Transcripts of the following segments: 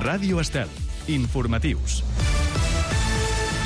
Ràdio Estel. Informatius.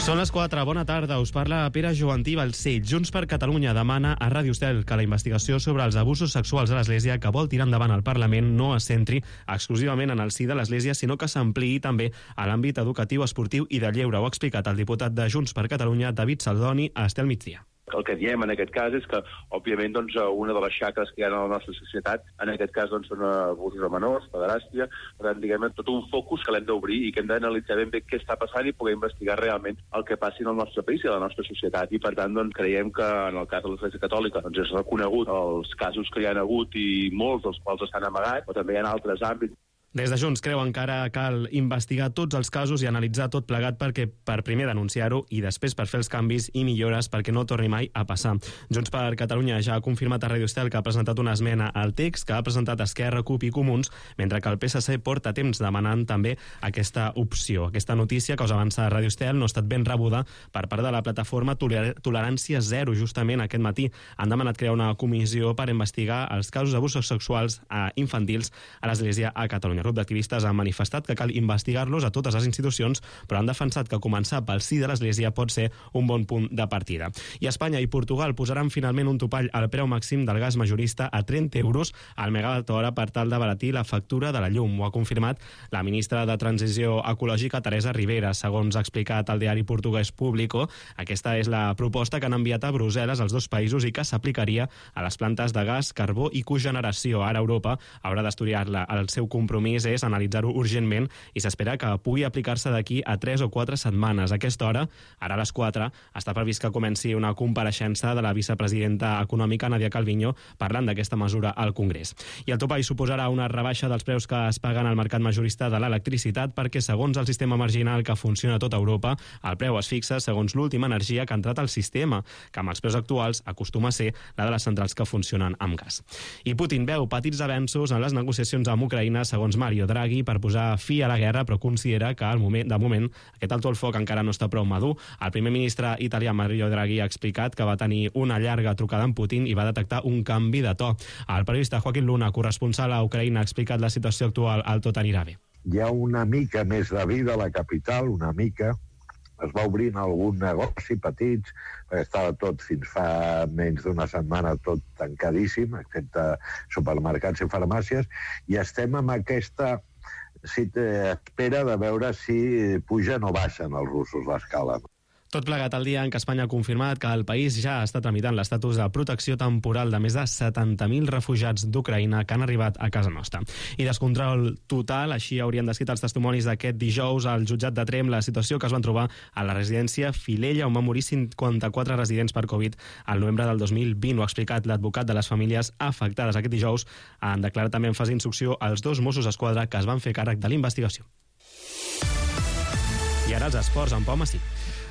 Són les 4, bona tarda, us parla Pere Jovantí Balcells. Junts per Catalunya demana a Ràdio Estel que la investigació sobre els abusos sexuals a l'Església que vol tirar endavant el Parlament no es centri exclusivament en el si de l'Església, sinó que s'ampliï també a l'àmbit educatiu, esportiu i de lleure. Ho ha explicat el diputat de Junts per Catalunya, David Saldoni, a Estel Migdia. El que diem en aquest cas és que, òbviament, una de les xacres que hi ha a la nostra societat, en aquest cas, són abusos a menors, pederàstia, per tant, diguem, tot un focus que l'hem d'obrir i que hem d'analitzar ben bé què està passant i poder investigar realment el que passi en el nostre país i a la nostra societat. I, per tant, creiem que en el cas de l'Església Catòlica és reconegut els casos que hi ha hagut i molts dels quals estan amagats, però també hi ha altres àmbits. Des de Junts creu encara cal investigar tots els casos i analitzar tot plegat perquè per primer denunciar-ho i després per fer els canvis i millores perquè no torni mai a passar. Junts per Catalunya ja ha confirmat a Ràdio Estel que ha presentat una esmena al text que ha presentat Esquerra, CUP i Comuns, mentre que el PSC porta temps demanant també aquesta opció. Aquesta notícia que us avança a Ràdio Estel no ha estat ben rebuda per part de la plataforma Tolerància Zero. Justament aquest matí han demanat crear una comissió per investigar els casos d'abusos sexuals infantils a l'Església a Catalunya. El grup d'activistes ha manifestat que cal investigar-los a totes les institucions, però han defensat que començar pel sí de l'Església pot ser un bon punt de partida. I Espanya i Portugal posaran finalment un topall al preu màxim del gas majorista a 30 euros al megawatt-hora per tal d'abaratir la factura de la llum. Ho ha confirmat la ministra de Transició Ecològica, Teresa Ribera. Segons ha explicat el diari portuguès Público, aquesta és la proposta que han enviat a Brussel·les els dos països i que s'aplicaria a les plantes de gas, carbó i cogeneració. Ara Europa haurà d'estudiar-la. El seu compromís és analitzar-ho urgentment i s'espera que pugui aplicar-se d'aquí a 3 o 4 setmanes. A aquesta hora, ara a les 4, està previst que comenci una compareixença de la vicepresidenta econòmica, Nadia Calviño, parlant d'aquesta mesura al Congrés. I el topall suposarà una rebaixa dels preus que es paguen al mercat majorista de l'electricitat perquè, segons el sistema marginal que funciona a tota Europa, el preu es fixa segons l'última energia que ha entrat al sistema, que amb els preus actuals acostuma a ser la de les centrals que funcionen amb gas. I Putin veu petits avenços en les negociacions amb Ucraïna, segons Mario Draghi, per posar fi a la guerra, però considera que de moment aquest alto el foc encara no està prou madur. El primer ministre italià Mario Draghi ha explicat que va tenir una llarga trucada amb Putin i va detectar un canvi de to. El periodista Joaquín Luna, corresponsal a Ucraïna, ha explicat la situació actual al tot anirà bé. Hi ha una mica més de vida a la capital, una mica. Es va obrint algun negoci petits, perquè estava tot fins fa menys d'una setmana tot tancadíssim, excepte supermercats i farmàcies, i estem amb aquesta espera de veure si pugen o baixen els russos l'escala. Tot plegat el dia en què Espanya ha confirmat que el país ja està tramitant l'estatus de protecció temporal de més de 70.000 refugiats d'Ucraïna que han arribat a casa nostra. I descontrol total, així haurien descrit els testimonis d'aquest dijous al jutjat de Tremp la situació que es van trobar a la residència Filella, on van morir 54 residents per Covid al novembre del 2020. Ho ha explicat l'advocat de les famílies afectades. Aquest dijous han declarat també en fase d'instrucció els 2 Mossos d'Esquadra que es van fer càrrec de la investigació. I ara els esports amb Pau Massí.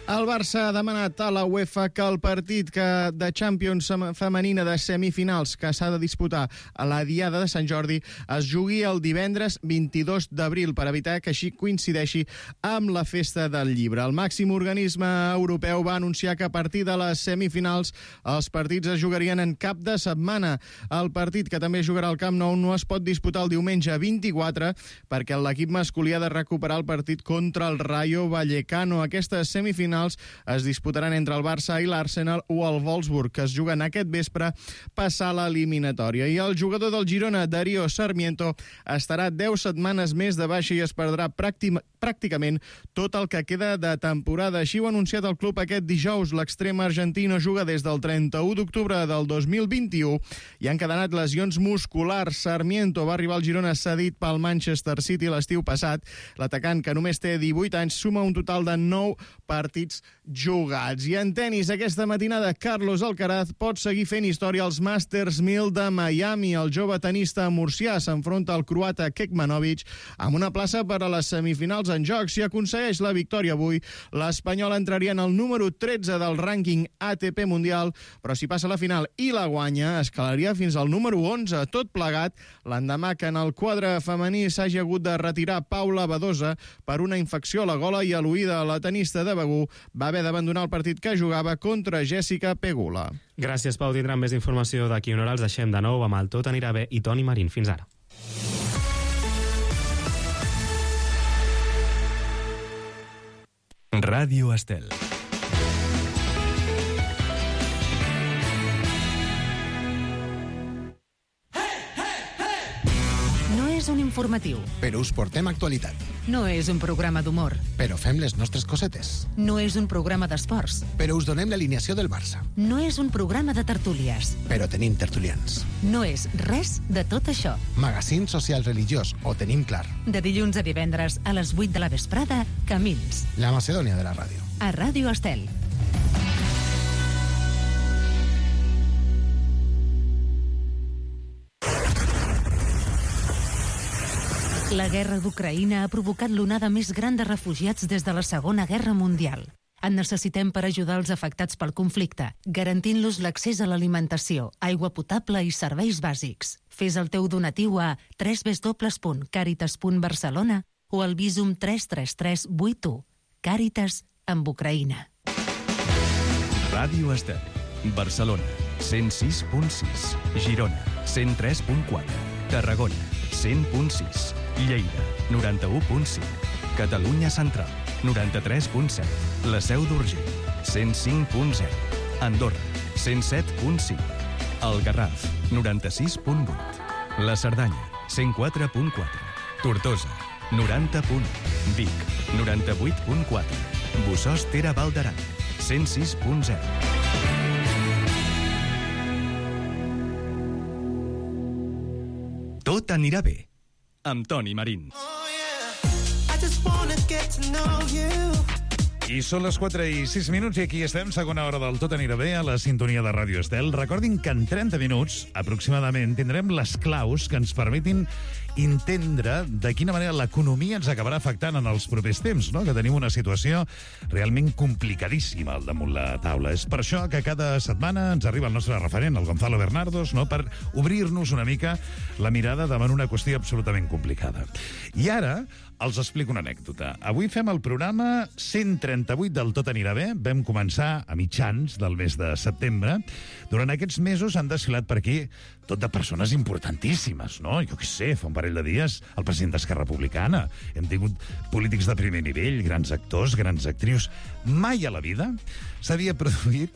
El Barça ha demanat a la UEFA que el partit de Champions femenina de semifinals que s'ha de disputar a la Diada de Sant Jordi es jugui el divendres 22 d'abril per evitar que així coincideixi amb la festa del llibre. El màxim organisme europeu va anunciar que a partir de les semifinals els partits es jugarien en cap de setmana. El partit, que també jugarà al Camp Nou, no es pot disputar el diumenge 24 perquè l'equip masculí ha de recuperar el partit contra el Rayo Vallecano. Aquestes semifinals es disputaran entre el Barça i l'Arsenal o el Wolfsburg, que es juguen aquest vespre passar l'eliminatòria. I el jugador del Girona, Darío Sarmiento, estarà 10 setmanes més de baixa i es perdrà pràcticament tot el que queda de temporada. Així ho ha anunciat el club aquest dijous. L'extrem argentí no juga des del 31 d'octubre del 2021 i han encadenat lesions musculars. Sarmiento va arribar al Girona cedit pel Manchester City l'estiu passat. L'atacant, que només té 18 anys, suma un total de 9 partits jugats. I en tenis, aquesta matinada, Carlos Alcaraz pot seguir fent història als Masters 1000 de Miami. El jove tenista murcià s'enfronta al croata Kekmanovic amb una plaça per a les semifinals en joc. Si aconsegueix la victòria avui, l'espanyol entraria en el número 13 del rànquing ATP mundial, però si passa a la final i la guanya, escalaria fins al número 11. Tot plegat l'endemà que en el quadre femení s'hagi hagut de retirar Paula Badosa per una infecció a la gola i a l'oïda. La tenista de Begur va haver d'abandonar el partit que jugava contra Jessica Pegula. Gràcies, Pau. Tindrem més informació d'aquí una hora. Els deixem de nou amb el Tot anirà bé i Toni Marín. Fins ara. Ràdio Estel. No és un informatiu. Però us portem actualitat. No és un programa d'humor. Però fem les nostres cosetes. No és un programa d'esports. Però us donem l'alineació del Barça. No és un programa de tertúlies. Però tenim tertulians. No és res de tot això. Magazín social religiós, ho tenim clar. De dilluns a divendres a les 8 de la vesprada, Camins. La Macedònia de la ràdio. A Ràdio Estel. La guerra d'Ucraïna ha provocat l'onada més gran de refugiats des de la Segona Guerra Mundial. En necessitem per ajudar els afectats pel conflicte, garantint-los l'accés a l'alimentació, aigua potable i serveis bàsics. Fes el teu donatiu a www.caritas.barcelona o al Visum 33381. Càritas amb Ucraïna. Ràdio Estel. Barcelona, 106.6. Girona, 103.4. Tarragona, 100.6. Lleida, 91.5. Catalunya Central, 93.7. La Seu d'Urgell, 105.0. Andorra, 107.5. El Garraf, 96.8. La Cerdanya, 104.4. Tortosa, 90.1. Vic, 98.4. Bossòst-Tere Val d'Aran, 106.0. Tot anirà bé, amb Toni Marín. I són les 4:06 i aquí estem, segona hora del Tot anirà bé a la sintonia de Ràdio Estel. Recordin que en 30 minuts, aproximadament, tindrem les claus que ens permetin entendre de quina manera l'economia ens acabarà afectant en els propers temps, no? Que tenim una situació realment complicadíssima al damunt la taula. És per això que cada setmana ens arriba el nostre referent, el Gonzalo Bernardos, no? Per obrir-nos una mica la mirada davant una qüestió absolutament complicada. I ara els explico una anècdota. Avui fem el programa 138 del Tot anirà bé. Vam començar a mitjans del mes de setembre. Durant aquests mesos han desfilat per aquí tot de persones importantíssimes, no? Jo què sé, fa un parell de dies el president d'Esquerra Republicana. Hem tingut polítics de primer nivell, grans actors, grans actrius. Mai a la vida s'havia produït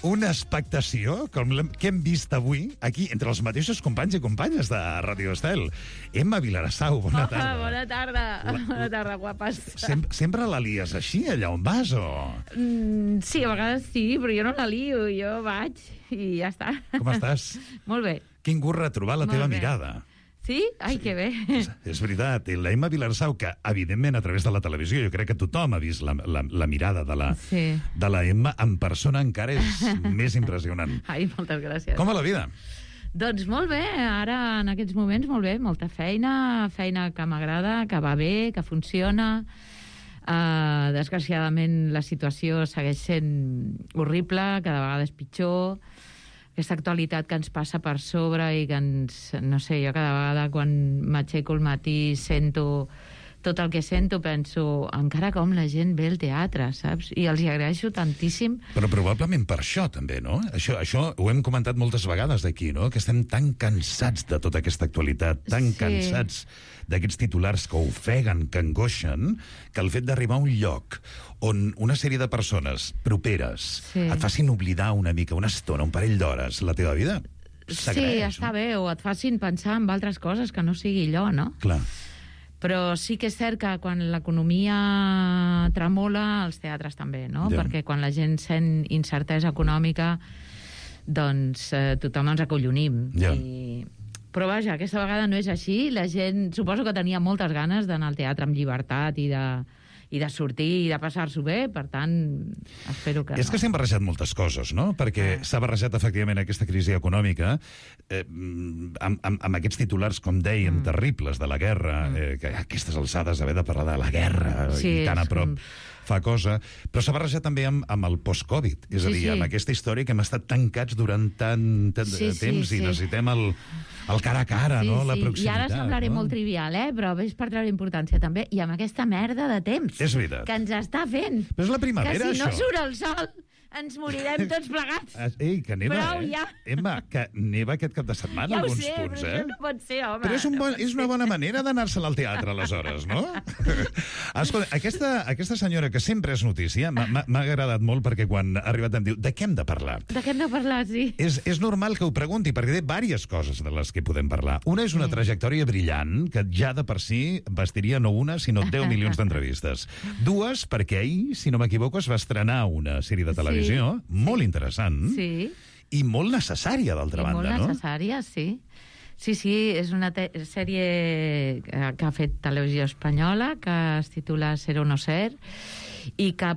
una expectació com que hem vist avui aquí entre els mateixos companys i companyes de Ràdio Estel. Emma Vilarassau, bona tarda. Bona tarda. Bona tarda, guapes. Sempre la lies així, allà on vas, o...? Sí, a vegades sí, però jo no la lio, jo vaig i ja està. Com estàs? Molt bé. Quin gust retrobar la teva mirada. Sí? Ai, que bé. És veritat. I la Emma Vilarassau, que evidentment a través de la televisió jo crec que tothom ha vist la mirada de la Emma en persona, encara és més impressionant. Ai, moltes gràcies. Com va la vida? Doncs molt bé, ara en aquests moments molt bé, molta feina que m'agrada, que va bé, que funciona. Desgraciadament la situació segueix sent horrible, cada vegada és pitjor. Aquesta actualitat que ens passa per sobre i que ens... No sé, jo cada vegada quan m'aixeco al matí sento tot el que sento, penso encara com la gent ve al teatre, saps? I els hi agraeixo tantíssim. Però probablement per això també, no? Això ho hem comentat moltes vegades aquí, no? Que estem tan cansats de tota aquesta actualitat, tan cansats d'aquests titulars que ofeguen, que angoixen, que el fet d'arribar a un lloc on una sèrie de persones properes et facin oblidar una mica, una estona, un parell d'hores, la teva vida, s'agraeix. Sí, està bé, o et facin pensar en altres coses que no sigui allò, no? Clar. Però sí que és cert que quan l'economia tremola, els teatres també, no? Ja. Perquè quan la gent sent incertesa econòmica, doncs tothom ens acollonim. Ja. Però vaja, aquesta vegada no és així. La gent, suposo que tenia moltes ganes d'anar al teatre amb llibertat i de sortir i de passar-s'ho bé, per tant, espero que És que s'han barrejat moltes coses, no? Perquè s'ha barrejat, efectivament, aquesta crisi econòmica amb aquests titulars, com dèiem, terribles de la guerra, que a aquestes alçades haver de parlar de la guerra i tan a prop fa cosa, però s'ha barrejat també amb el post-Covid, és a dir, amb aquesta història que hem estat tancats durant tant temps i necessitem el cara a cara, no? La proximitat. I ara semblaré molt trivial, però és per treure importància també, i amb aquesta merda de temps és veritat. que ens està fent. Però és la primavera, que si això. no surt el sol, ens morirem tots plegats. Ei, que neva, Prou, ja. Emma, que neva aquest cap de setmana, Ja ho alguns sé, punts, però això no pot ser, home. Però és una bona manera d'anar-se'n al teatre, aleshores, no? Escolta, aquesta senyora, que sempre és notícia, m'ha agradat molt perquè quan ha arribat em diu, de què hem de parlar? De què hem de parlar, sí. És normal que ho pregunti, perquè té diverses coses de les que podem parlar. Una és una trajectòria brillant, que ja de per si bastiria no una, sinó 10 milions d'entrevistes. Dues, perquè ahir, si no m'equivoco, es va estrenar una sèrie de televisió molt interessant i molt necessària, d'altra banda, no? Molt necessària, sí. Sí, és una sèrie que ha fet Televisió Espanyola, que es titula Ser o no ser, i que,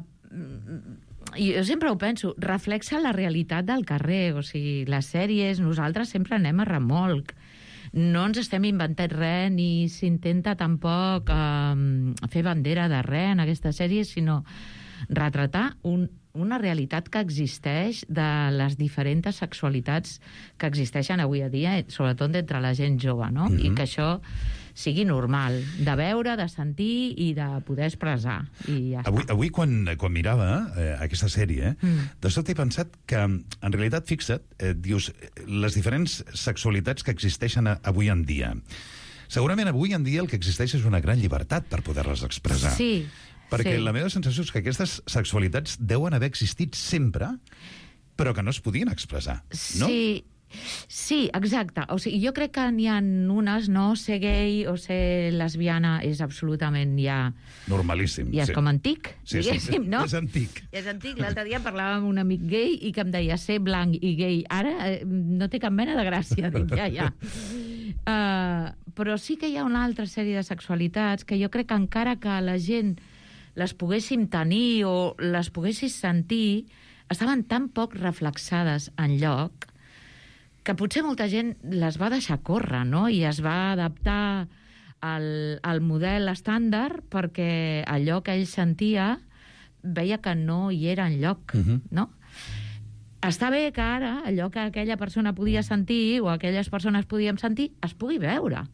jo sempre ho penso, reflexa la realitat del carrer. O sigui, les sèries, nosaltres sempre anem a remolc. No ens estem inventant res, ni s'intenta tampoc fer bandera de res en aquesta sèrie, sinó retratar una realitat que existeix de les diferents sexualitats que existeixen avui a dia, sobretot entre la gent jove, no? I que això sigui normal, de veure, de sentir i de poder expressar. I ja avui quan mirava aquesta sèrie, de sobte he pensat que, en realitat, fixa't, dius, les diferents sexualitats que existeixen avui en dia. Segurament avui en dia el que existeix és una gran llibertat per poder-les expressar. Sí. Perquè la meva sensació és que aquestes sexualitats deuen haver existit sempre, però que no es podien expressar, no? Sí, exacte. O sigui, jo crec que n'hi ha unes, no? Ser gay o ser lesbiana és absolutament ja... Normalíssim. Ja és com antic, diguéssim, no? És antic. És antic. L'altre dia parlava amb un amic gay i que em deia ser blanc i gay. Ara no té cap mena de gràcia. Dic, ja. Però sí que hi ha una altra sèrie de sexualitats que jo crec que encara que la gent les poguéssim tenir o les poguessis sentir, estaven tan poc reflexades enlloc que potser molta gent les va deixar córrer, no? I es va adaptar al model estàndard perquè allò que ell sentia veia que no hi era enlloc, no? Està bé que ara allò que aquella persona podia sentir o aquelles persones podíem sentir es pugui veure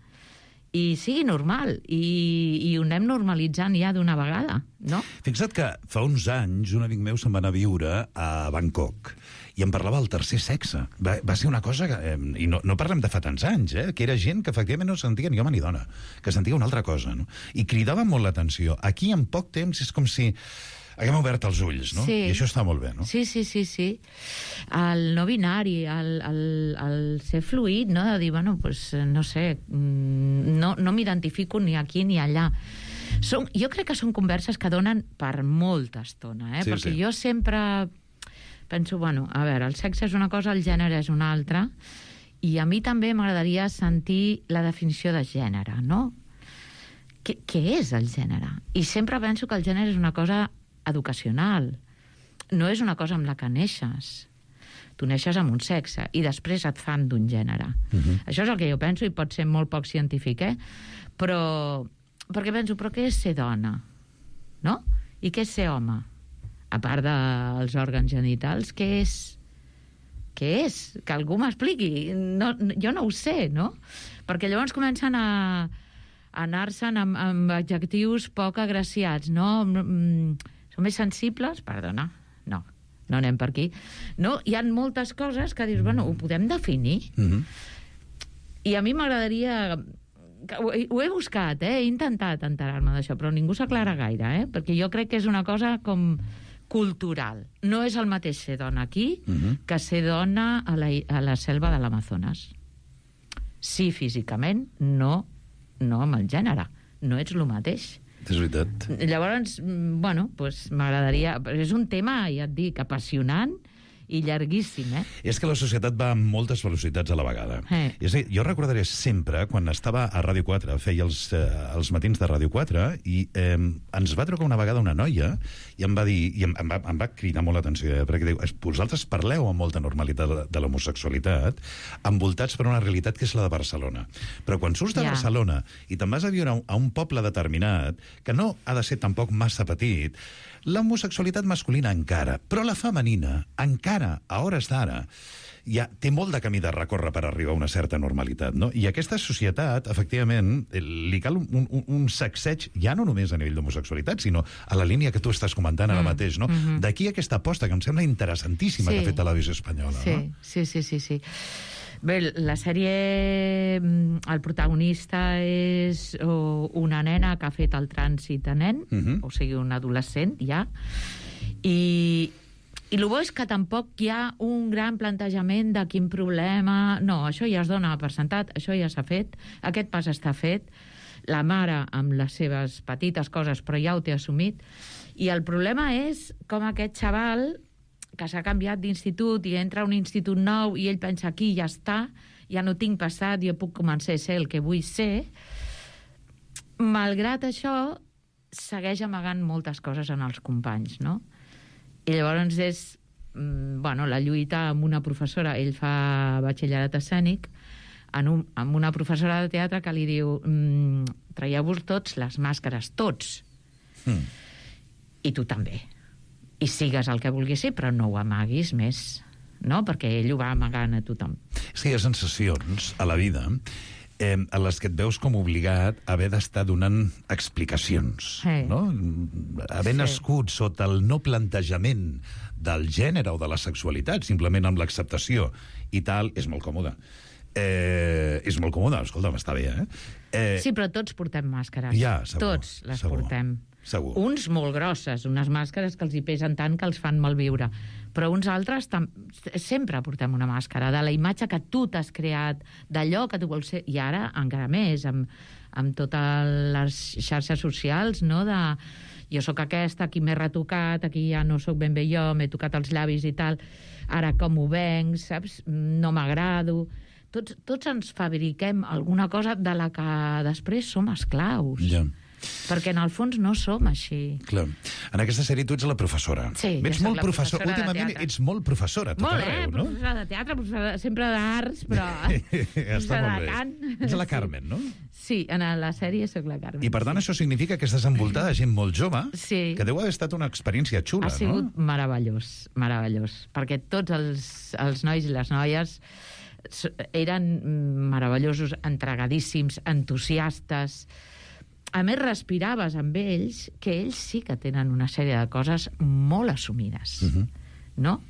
i sigui normal, i ho anem normalitzant ja d'una vegada, no? Fixa't que fa uns anys un amic meu se'n va anar a viure a Bangkok i em parlava del tercer sexe. Va ser una cosa que... I no parlem de fa tants anys, que era gent que efectivament no sentia ni home ni dona, que sentia una altra cosa, no? I cridava molt l'atenció. Aquí, en poc temps, és com si haguem obert els ulls, no? Sí. I això està molt bé, no? Sí. El no binari, el ser fluid, no? De dir, bueno, pues, no sé, no m'identifico ni aquí ni allà. Jo crec que són converses que donen per molta estona, perquè jo sempre penso, bueno, a veure, el sexe és una cosa, el gènere és una altra, i a mi també m'agradaria sentir la definició de gènere, no? Què és el gènere? I sempre penso que el gènere és una cosa educacional, no és una cosa amb la que neixes. Tu neixes amb un sexe i després et fan d'un gènere. Això és el que jo penso i pot ser molt poc científic, però perquè penso, però què és ser dona? No? I què és ser home? A part dels òrgans genitals, què és? Què és? Que algú m'expliqui. Jo no ho sé, no? Perquè llavors comencen a anar-se'n amb adjectius poc agraciats, no? Són més sensibles? Perdona, no anem per aquí. No, hi ha moltes coses que dius, bueno, ho podem definir. I a mi m'agradaria... Ho he buscat, he intentat enterar-me d'això, però ningú s'aclara gaire, perquè jo crec que és una cosa com cultural. No és el mateix ser dona aquí que ser dona a la selva de l'Amazones. Sí, físicament, no amb el gènere. No ets el mateix. És veritat. Llavors, bueno, pues m'agradaria... És un tema, ja et dic, apassionant i llarguíssim, És que la societat va amb moltes velocitats a la vegada. És a dir, jo recordaré sempre, quan estava a Ràdio 4, feia els matins de Ràdio 4, i ens va trucar una vegada una noia i em va dir, i em va cridar molt l'atenció, perquè diu, vosaltres parleu amb molta normalitat de l'homosexualitat, envoltats per una realitat que és la de Barcelona. Però quan surts de Barcelona i te'n vas a viure a un poble determinat, que no ha de ser tampoc massa petit, l'homosexualitat masculina encara, però la femenina encara encara, a hores d'ara, ja té molt de camí de recórrer per arribar a una certa normalitat, no? I a aquesta societat, efectivament, li cal un sacseig, ja no només a nivell d'homosexualitat, sinó a la línia que tu estàs comentant ara mateix, no? D'aquí aquesta aposta, que em sembla interessantíssima, que ha fet Televisió Espanyola, no? Sí. Bé, la sèrie, el protagonista és una nena que ha fet el trànsit de nen, o sigui, un adolescent, ja, i el bo és que tampoc hi ha un gran plantejament de quin problema... No, això ja es dona per sentat, això ja s'ha fet, aquest pas està fet, la mare amb les seves petites coses, però ja ho té assumit, i el problema és com aquest xaval que s'ha canviat d'institut i entra a un institut nou i ell pensa aquí ja està, ja no tinc passat, jo puc començar a ser el que vull ser. Malgrat això, segueix amagant moltes coses en els companys, no? I llavors és la lluita amb una professora, ell fa batxillerat escènic, amb una professora de teatre que li diu traieu-vos tots les màscares, tots. I tu també. I sigues el que vulguis ser, però no ho amaguis més, no? Perquè ell ho va amagant a tothom. És que hi ha sensacions a la vida a les que et veus com obligat a haver d'estar donant explicacions, no? Haver nascut sota el no plantejament del gènere o de la sexualitat, simplement amb l'acceptació i tal, és molt còmode. És molt còmode, escolta'm, està bé, Sí, però tots portem màscares. Ja, segur. Tots les portem. Segur. Uns molt grosses, unes màscares que els hi pesen tant que els fan malviure, però uns altres sempre portem una màscara, de la imatge que tu t'has creat, d'allò que tu vols ser, i ara encara més, amb totes les xarxes socials, no?, de jo sóc aquesta, aquí m'he retocat, aquí ja no sóc ben bé jo, m'he tocat els llavis i tal, ara com ho venc, saps? No m'agrado. Tots ens fabriquem alguna cosa de la que després som esclaus. Ja. Perquè en el fons no som així. Clar. En aquesta sèrie tu ets la professora. Sí, ets molt professora. Últimament ets molt professora, tot arreu, no? Professora de teatre, professora sempre d'arts, però... Està molt bé. Ets la Carmen, no? Sí, en la sèrie soc la Carmen. I per tant això significa que estàs envoltada de gent molt jove, sí, que deu haver estat una experiència xula, no? Ha sigut meravellós, perquè tots els nois i les noies eren meravellosos, entregadíssims, entusiastes. A més, respiraves amb ells que ells sí que tenen una sèrie de coses molt assumides, no?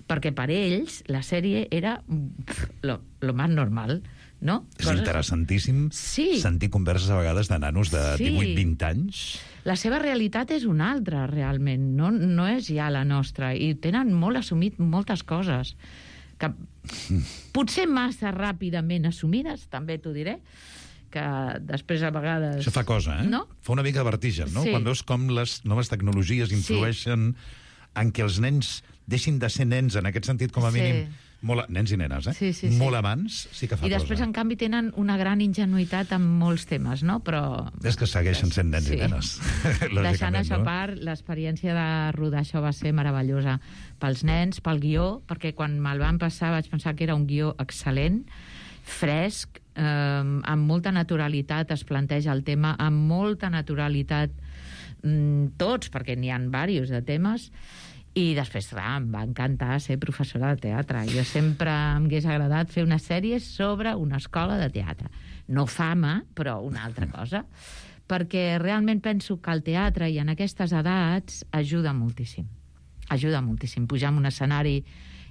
Perquè per ells la sèrie era lo más normal, no? És interessantíssim sentir converses a vegades de nanos de 18-20 anys. La seva realitat és una altra, realment, no és ja la nostra, i tenen molt assumit moltes coses, que potser massa ràpidament assumides, també t'ho diré, que després a vegades... Això fa cosa, No? Fa una mica de vertigen, no? Sí. Quan veus com les noves tecnologies influeixen en què els nens deixin de ser nens, en aquest sentit, com a mínim, nens i nenes, molt abans, sí que fa cosa. I després, en canvi, tenen una gran ingenuïtat en molts temes, no? Però... És que segueixen sent nens i nenes. Deixant això a part, l'experiència de rodar això va ser meravellosa pels nens, pel guió, perquè quan me'l van passar vaig pensar que era un guió excel·lent, fresc, amb molta naturalitat es planteja el tema, amb molta naturalitat tots, perquè n'hi ha diversos de temes, i després, clar, em va encantar ser professora de teatre. Jo sempre em hagués agradat fer una sèrie sobre una escola de teatre. No fama, però una altra cosa. Perquè realment penso que el teatre, i en aquestes edats, ajuda moltíssim. Ajuda moltíssim. Pujar en un escenari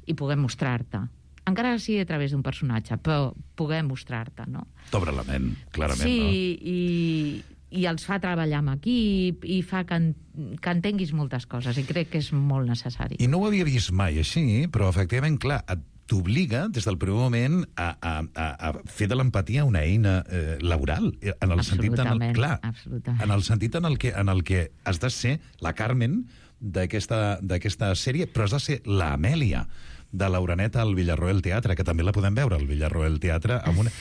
i poder mostrar-te. Encara que sigui a través d'un personatge, però poder mostrar-te, no? T'obre la ment, clarament, no? Sí, i els fa treballar amb equip, i fa que entenguis moltes coses, i crec que és molt necessari. I no ho havia vist mai així, però efectivament, clar, t'obliga des del primer moment a fer de l'empatia una eina laboral, en el sentit en el sentit en el que has de ser la Carmen d'aquesta sèrie, però has de ser l'Amèlia de l'Auraneta al Villarroel Teatre, que també la podem veure al Villarroel Teatre, amb una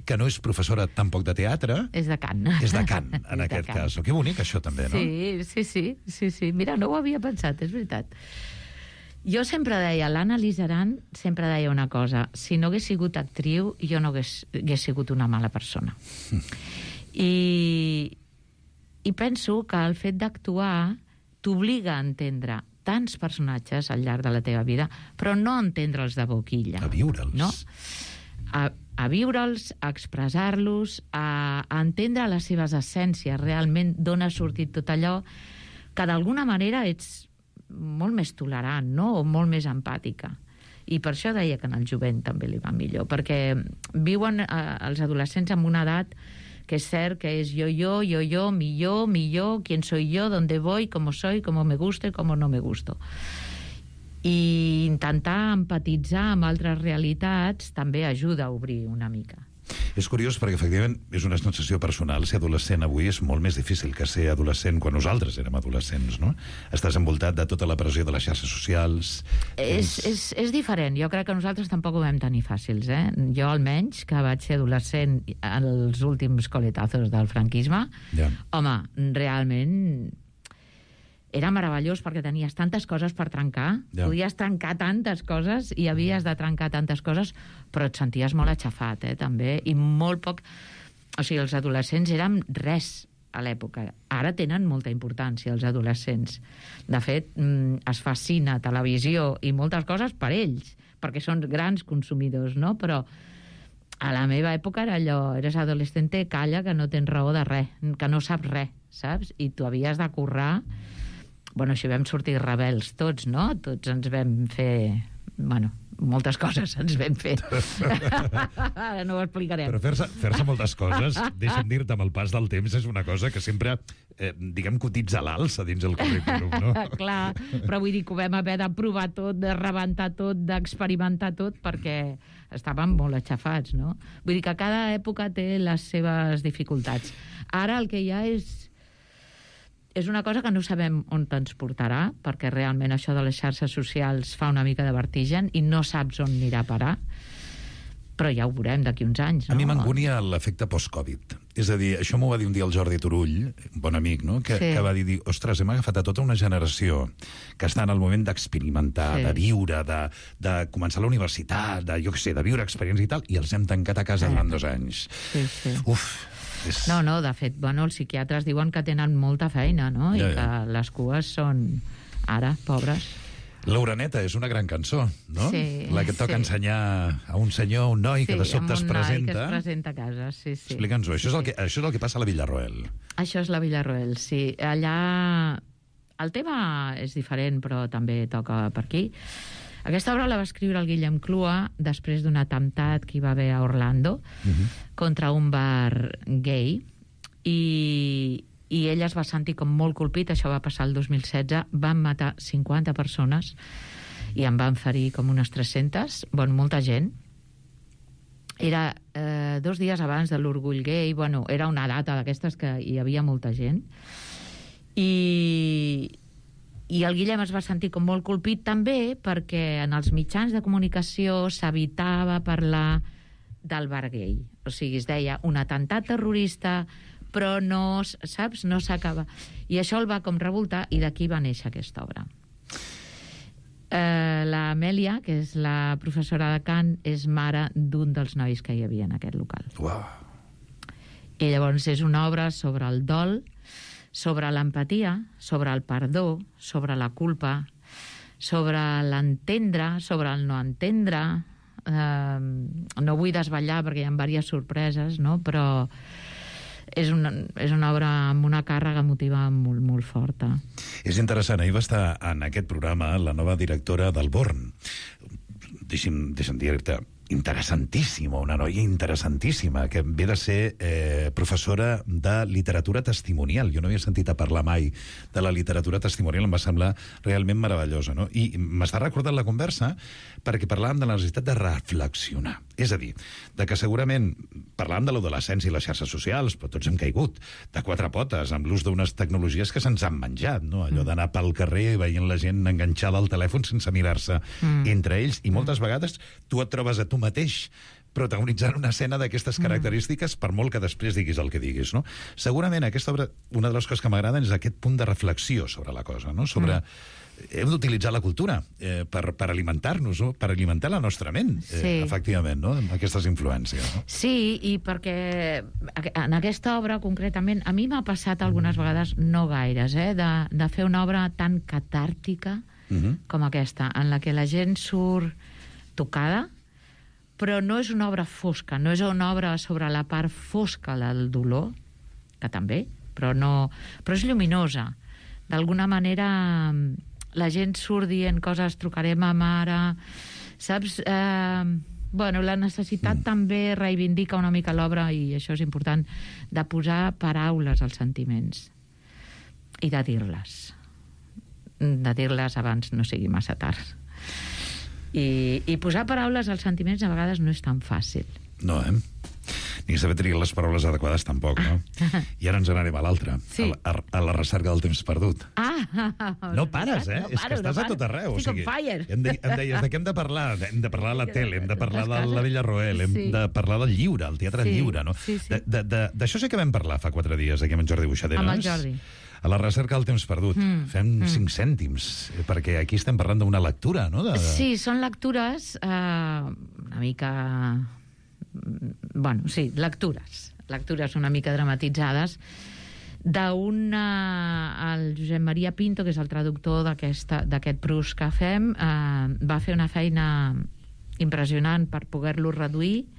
que no és professora tampoc de teatre. És de cant. És de cant, en aquest cas. Que bonic, això, també, no? Sí. Mira, no ho havia pensat, és veritat. Jo sempre deia, l'Anna Lizaran sempre deia una cosa: si no hagués sigut actriu, jo no hagués sigut una mala persona. I penso que el fet d'actuar t'obliga a entendre tants personatges al llarg de la teva vida, però no entendre'ls de boquilla. A viure'ls. No? A viure'ls, a expressar-los, a entendre les seves essències, realment d'on ha sortit tot allò, que d'alguna manera ets molt més tolerant, no? O molt més empàtica. I per això deia que en el jovent també li va millor, perquè viuen els adolescents en una edat que es cert que es yo, millor, quién soy yo, dónde voy, cómo soy, cómo me gusto y cómo no me gusto. I intentar empatitzar amb altres realitats també ajuda a obrir una mica. És curiós perquè, efectivament, és una sensació personal. Ser adolescent avui és molt més difícil que ser adolescent quan nosaltres érem adolescents, no? Estàs envoltat de tota la pressió de les xarxes socials... És diferent. Jo crec que nosaltres tampoc ho vam tenir fàcils, eh? Jo, almenys, que vaig ser adolescent als últims coletazos del franquisme, home, realment... Era meravellós perquè tenies tantes coses per trencar, podies trencar tantes coses i havies de trencar tantes coses, però et senties molt aixafat, també, i molt poc... O sigui, els adolescents eren res a l'època. Ara tenen molta importància, els adolescents. De fet, es fa cine, televisió i moltes coses per ells, perquè són grans consumidors, no? Però a la meva època era allò, eres adolescente, calla, que no tens raó de res, que no saps res, saps? I tu havies de currar... Bueno, així vam sortir rebels tots, no? Tots ens vam fer... Bueno, moltes coses ens vam fer. Ara no ho explicarem. Però fer-se moltes coses, deixa'm dir-te, amb el pas del temps, és una cosa que sempre, diguem, cotitza a l'alça dins el currículum, no? Clar, però vull dir que ho vam haver de provar tot, de rebentar tot, d'experimentar tot, perquè estàvem molt aixafats, no? Vull dir que cada època té les seves dificultats. Ara el que hi ha és una cosa que no sabem on ens portarà, perquè realment això de les xarxes socials fa una mica de vertigen i no saps on anirà a parar, però ja ho veurem d'aquí uns anys, no? A mi m'angunia l'efecte post-Covid. És a dir, això m'ho va dir un dia el Jordi Turull, un bon amic, no? Que va dir, ostres, hem agafat a tota una generació que està en el moment d'experimentar, de viure, de començar la universitat, de viure experiències i tal, i els hem tancat a casa durant 2 anys. Uf... No, de fet, bueno, els psiquiatres diuen que tenen molta feina, no? I que les cues són, ara, pobres. L'Oreneta és una gran cançó, no? Sí. La que toca ensenyar a un senyor, un noi que de sobte es presenta. Sí, un noi que es presenta a casa, sí. Explica'ns-ho, això és el que passa a la Villarroel. Això és la Villarroel, sí. Allà el tema és diferent, però també toca per aquí. Aquesta obra la va escriure el Guillem Clua després d'un atemptat que hi va haver a Orlando contra un bar gay i ell es va sentir com molt colpit. Això va passar el 2016, van matar 50 persones i en van ferir com unes 300, bueno, molta gent. Era 2 dies abans de l'orgull gay, bueno, era una data d'aquestes que hi havia molta gent i el Guillem es va sentir com molt colpit també perquè en els mitjans de comunicació s'evitava parlar del bar gay. O sigui, es deia un atemptat terrorista, però no, saps, no s'acaba. I això el va com revoltar i d'aquí va néixer aquesta obra. L'Amèlia, que és la professora de cant, és mare d'un dels nois que hi havia en aquest local. Uau. I llavors és una obra sobre el dol, sobre l'empatia, sobre el perdó, sobre la culpa, sobre l'entendre, sobre el no entendre. No vull desvetllar perquè hi ha diverses sorpreses, no? Però és una obra amb una càrrega emotiva molt, molt forta. És interessant, ahir va estar en aquest programa la nova directora del Born. Deixa'm dir-te, interessantíssima, una noia interessantíssima, que ve de ser professora de literatura testimonial. Jo no havia sentit a parlar mai de la literatura testimonial, em va semblar realment meravellosa, no? I m'està recordant la conversa perquè parlàvem de la necessitat de reflexionar. És a dir, de que segurament parlàvem de l'adolescència i les xarxes socials, però tots hem caigut de 4 potes amb l'ús d'unes tecnologies que se'ns han menjat, no? Allò d'anar pel carrer veient la gent enganxada al telèfon sense mirar-se entre ells, i moltes vegades tu et trobes a tu mateix protagonitzant una escena d'aquestes característiques, per molt que després diguis el que diguis, no? Segurament aquesta obra, una de les coses que m'agraden és aquest punt de reflexió sobre la cosa, no? Sobre hem d'utilitzar la cultura per alimentar-nos, no? Per alimentar la nostra ment, efectivament, no? Amb aquestes influències, no? Sí, i perquè en aquesta obra concretament a mi m'ha passat algunes vegades, no gaires, de fer una obra tan catàrtica, com aquesta, en la que la gent surt tocada, però no és una obra fosca, no és una obra sobre la part fosca del dolor, que també, però és lluminosa. D'alguna manera la gent surt dient coses, trucarem a mare, saps? La necessitat també reivindica una mica l'obra, i això és important, de posar paraules als sentiments i de dir-les abans no sigui massa tard. I posar paraules als sentiments a vegades no és tan fàcil. No, ni saber triar les paraules adequades tampoc, no? I ara ens n'anem a l'altre, a la recerca del temps perdut. No pares, No és que estàs a tot arreu. Estic on fire. Em deies de què hem de parlar? Hem de parlar de la tele, hem de parlar de la Vella Roel, hem de parlar del lliure, el teatre lliure, no? D'això sí que vam parlar fa 4 dies aquí amb en Jordi Buixaderas. Amb el Jordi. A la recerca del temps perdut. Fem 5 cèntims, perquè aquí estem parlant d'una lectura, no? Sí, són lectures una mica... lectures una mica dramatitzades el Josep Maria Pinto, que és el traductor d'aquest Proust que fem, va fer una feina impressionant per poder-lo reduir.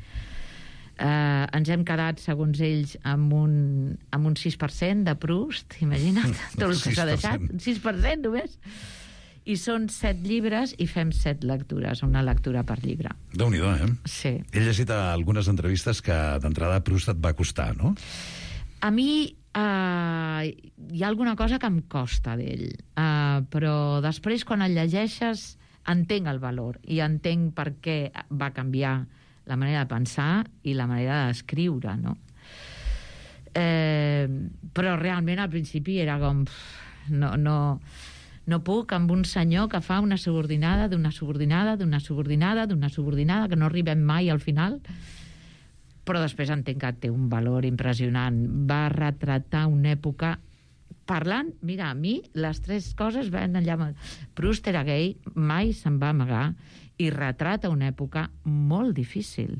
Ens hem quedat, segons ells, amb un 6% de Proust, imagina't, tot el que s'ha deixat, un 6% només. I són 7 llibres i fem 7 lectures, una lectura per llibre. Déu-n'hi-do, Sí. He llegit algunes entrevistes que d'entrada Proust et va costar, no? A mi hi ha alguna cosa que em costa d'ell, però després, quan el llegeixes, entenc el valor i entenc per què va canviar la manera de pensar i la manera d'escriure, no? Però realment al principi era com... No puc amb un senyor que fa una subordinada d'una subordinada d'una subordinada d'una subordinada, que no arribem mai al final, però després entenc que té un valor impressionant. Va retratar una època parlant... Mira, a mi les 3 coses van allà... Proust era gay, mai se'n va amagar, i retrata una època molt difícil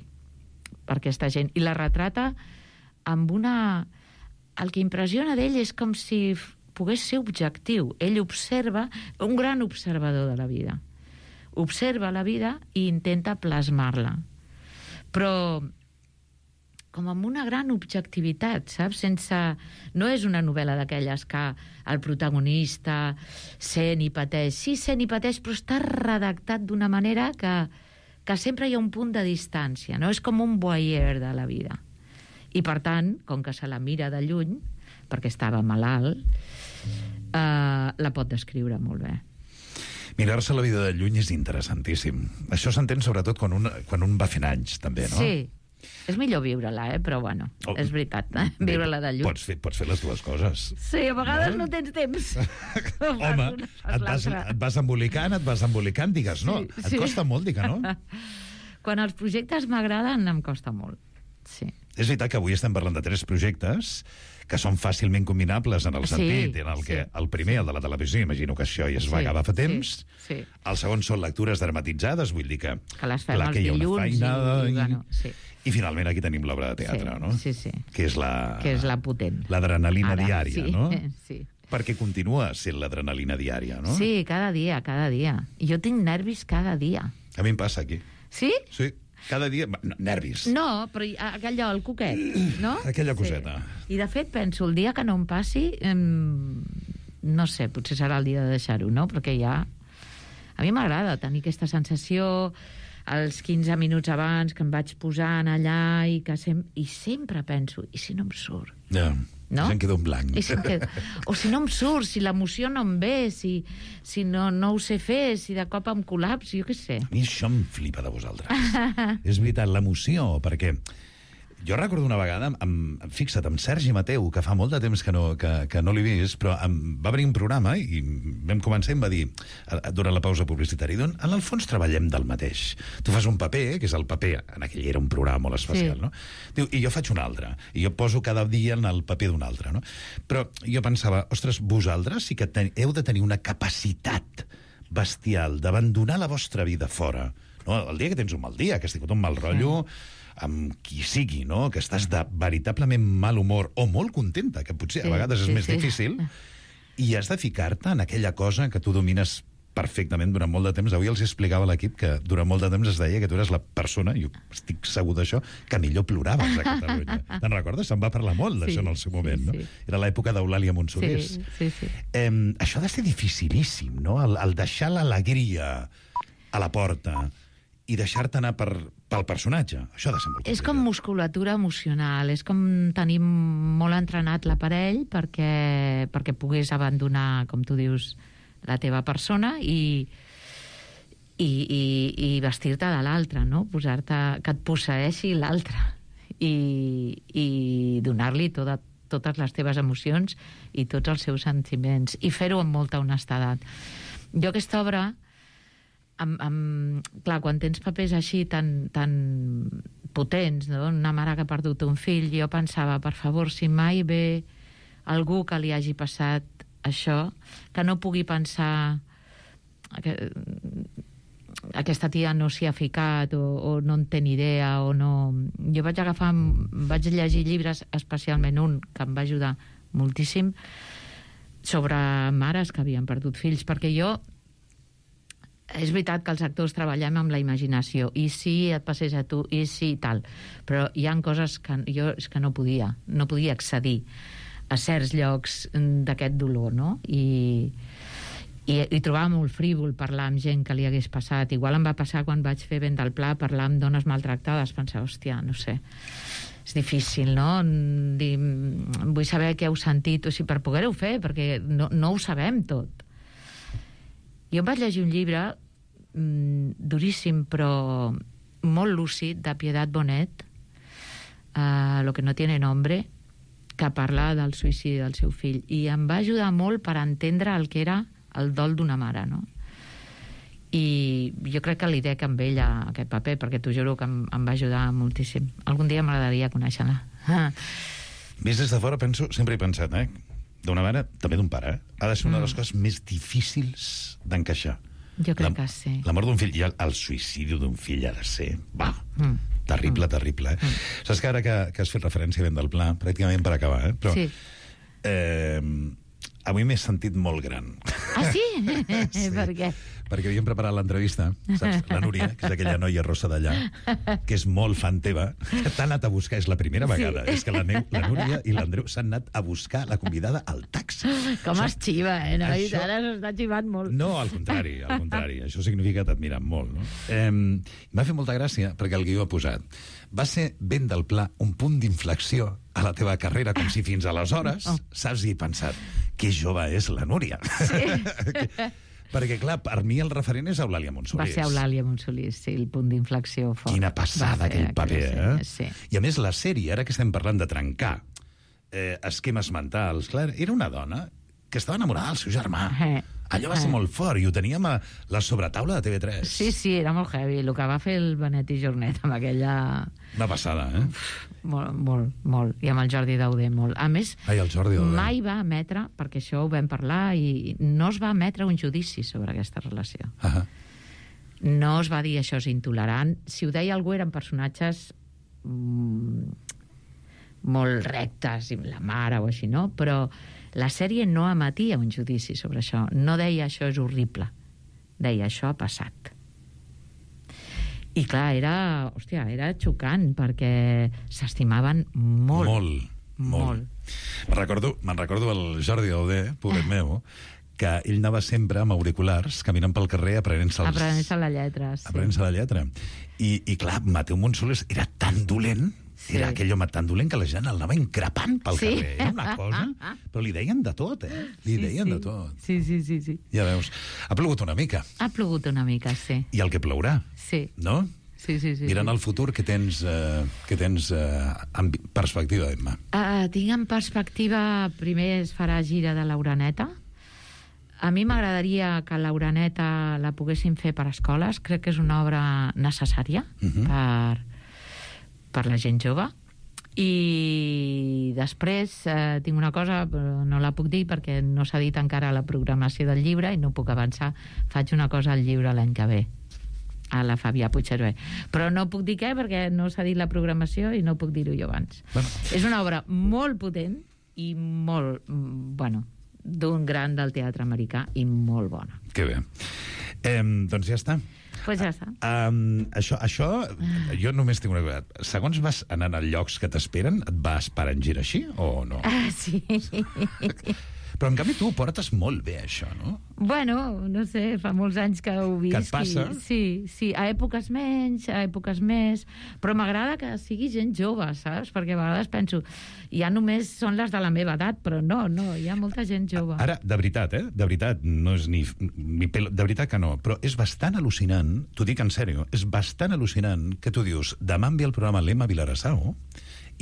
per aquesta gent, i la retrata amb una... El que impressiona d'ell és com si pogués ser objectiu. Ell observa, un gran observador de la vida. Observa la vida i intenta plasmar-la. Però com amb una gran objectivitat, saps? No és una novel·la d'aquelles que el protagonista sent i pateix. Sí, sent i pateix, però està redactat d'una manera que sempre hi ha un punt de distància, no? És com un voyeur de la vida. I, per tant, com que se la mira de lluny, perquè estava malalt, la pot descriure molt bé. Mirar-se la vida de lluny és interessantíssim. Això s'entén sobretot quan un va fent anys, també, no? Sí. És millor viure-la, però bueno, és veritat, viure-la de lluny. Pots fer les dues coses. Sí, a vegades no tens temps. Home, et vas embolicant, digues, no? Et costa molt dir que no? Quan els projectes m'agraden, em costa molt, sí. És veritat que avui estem parlant de 3 projectes que són fàcilment combinables en el sentit en el que el primer, el de la televisió, imagino que això ja es va acabar fa temps. El segon són lectures dramatitzades, vull dir que les fem els dilluns. I finalment aquí tenim l'obra de teatre, no? Sí. Que és la potent. L'adrenalina diària, no? Sí. Perquè continua sent l'adrenalina diària, no? Sí, cada dia. Jo tinc nervis cada dia. A mi em passa aquí. Sí? Sí. Cada dia... Nervis. No, però allò, el coquet, no? Aquella coseta. I, de fet, penso, el dia que no em passi, no sé, potser serà el dia de deixar-ho, no? Perquè ja... A mi m'agrada tenir aquesta sensació els 15 minuts abans que em vaig posant allà i sempre penso, i si no em surt? Ja. No? Se'm queda un blanc. O si no em surt, si l'emoció no em ve, si no ho sé fer, si de cop em col·lapsi, jo què sé. A mi això em flipa de vosaltres. És veritat, l'emoció, perquè jo recordo una vegada, fixa't, amb Sergi Mateu, que fa molt de temps que no l'he vist, però va venir un programa i vam començar i em va dir, durant la pausa publicitària, en el fons treballem del mateix. Tu fas un paper, que és el paper, en aquell era un programa molt especial, no? Diu, i jo faig un altre, i jo poso cada dia en el paper d'un altre, no? Però jo pensava, ostres, vosaltres sí que heu de tenir una capacitat bestial d'abandonar la vostra vida fora. No? El dia que tens un mal dia, que has tingut un mal rotllo, amb qui sigui, no? Que estàs de veritablement mal humor o molt contenta, que potser a vegades és més difícil, i has de ficar-te en aquella cosa que tu domines perfectament durant molt de temps. Avui els explicava a l'equip que durant molt de temps es deia que tu eres la persona, jo estic segur d'això, que millor ploraves a Catalunya. Te'n recordes? Se'n va parlar molt d'això en el seu moment, no? Era l'època d'Eulàlia Monsolís. Sí. Això ha de ser dificilíssim, no? El deixar l'alegria a la porta i deixar-te anar pel personatge. Això ha de ser molt complicat. És com musculatura emocional, és com tenir molt entrenat l'aparell perquè pogués abandonar, com tu dius, la teva persona i vestir-te de l'altre, no? Posar-te, que et posseeixi l'altre i donar-li totes les teves emocions i tots els seus sentiments i fer-ho amb molta honestedat. Jo aquesta obra, clar, quan tens papers així tan potents, no? Una mare que ha perdut un fill, jo pensava, per favor, si mai ve algú que li hagi passat això, que no pugui pensar que aquesta tia no s'hi ha ficat o no en té ni idea o no... Jo vaig llegir llibres, especialment un que em va ajudar moltíssim, sobre mares que havien perdut fills, perquè jo... És veritat que els actors treballem amb la imaginació, i si et passés a tu, i si tal, però hi ha coses que jo és que no podia accedir a certs llocs d'aquest dolor, no? I trobava molt frívol parlar amb gent que li hagués passat. Igual em va passar quan vaig fer Vent del Pla, parlar amb dones maltractades, pensar, hòstia, no sé, és difícil, no? Vull saber què heu sentit, o sigui, per poder-ho fer, perquè no ho sabem tot. Jo em vaig llegir un llibre duríssim, però molt lúcid, de Piedad Bonet, Lo que no tiene nombre, que parla del suïcidi del seu fill, i em va ajudar molt per entendre el que era el dol d'una mare, no? I jo crec que li dec amb ella aquest paper, perquè t'ho juro que em va ajudar moltíssim. Algun dia m'agradaria conèixer-la. Vist des de fora, sempre he pensat, d'una mare, també d'un pare, ha de ser una de les coses més difícils d'encaixar. Jo crec que sí. La mort d'un fill i el suïcidi d'un fill ha de ser... Terrible. Saps que ara que has fet referència a Vent del Pla, pràcticament per acabar, però... Sí. Avui m'he sentit molt gran. Ah, sí? Sí. Per què? Perquè havíem preparat l'entrevista, saps? La Núria, que és aquella noia rossa d'allà, que és molt fan teva, que t'ha anat a buscar, és la primera vegada. És que la Núria i l'Andreu s'han anat a buscar la convidada al taxi. Com es xiva, noi? Ara s'està xivant molt. No, al contrari. Això significa que t'admiren molt, no? M'ha fet molta gràcia, perquè el guió ha posat. Va ser Vent del Pla un punt d'inflexió a la teva carrera, com si fins aleshores, saps, i he pensat, que jove és la Núria. Sí. Perquè, clar, per mi el referent és Eulàlia Monsolís. Va ser Eulàlia Monsolís, sí, el punt d'inflexió fort. Quina passada aquell paper, Sí. I a més, la sèrie, ara que estem parlant de trencar esquemes mentals, clar, era una dona que estava enamorada del seu germà. Allò va ser molt fort, i ho teníem a la sobretaula de TV3. Sí, era molt heavy. El que va fer el Benet i Jornet amb aquella... Una passada, Molt. I amb el Jordi Dauder, molt. A més, el Jordi Dauder. mai va emetre, perquè això ho vam parlar, i no es va emetre un judici sobre aquesta relació. No es va dir això és intolerant. Si ho deia algú eren personatges molt rectes, la mare o així, no? Però la sèrie no emetia un judici sobre això. No deia això és horrible. Deia això ha passat. I clar, era xocant, perquè s'estimaven molt. Molt. Me'n recordo el Jordi Dauder, pobret meu, que ell anava sempre amb auriculars, caminant pel carrer, aprenent-se la lletra. Sí. Aprenent-se la lletra. I clar, Mateu Monsolís era tan dolent, era aquell home tan dolent que la gent el anava increpant pel carrer. Era una cosa... Però li deien de tot, Li deien de tot. Sí. Ja veus. Ha plogut una mica. Ha plogut una mica, sí. I el que plourà. Sí. No? Sí. Mirant al futur, què tens en perspectiva, Emma? Tinc en perspectiva, primer es farà gira de l'Uraneta. A mi m'agradaria que l'Uraneta la poguessin fer per escoles. Crec que és una obra necessària per la gent jove. I després tinc una cosa, però no la puc dir perquè no s'ha dit encara la programació del llibre i no puc avançar. Faig una cosa al llibre l'any que ve, a la Fabià Puigcerver. Però no puc dir què perquè no s'ha dit la programació i no puc dir-ho jo abans. És una obra molt potent i molt, d'un gran del teatre americà i molt bona. Que bé. Doncs ja està. Pues ja està. Això, jo només tinc una cosa. Segons vas anant a llocs que t'esperen, et vas parar en gir així o no? Sí. Però en canvi tu ho portes molt bé, això, no? Bueno, no sé, fa molts anys que ho visc. Que et passa? Sí, a èpoques menys, a èpoques més, però m'agrada que sigui gent jove, saps? Perquè a vegades penso, ja només són les de la meva edat, però no, hi ha molta gent jove. Ara, de veritat, de veritat, no és ni pelo, de veritat que no, però és bastant al·lucinant, t'ho dic en sèrio, és bastant al·lucinant que tu dius, demà em ve el programa l'Emma Vilarassau,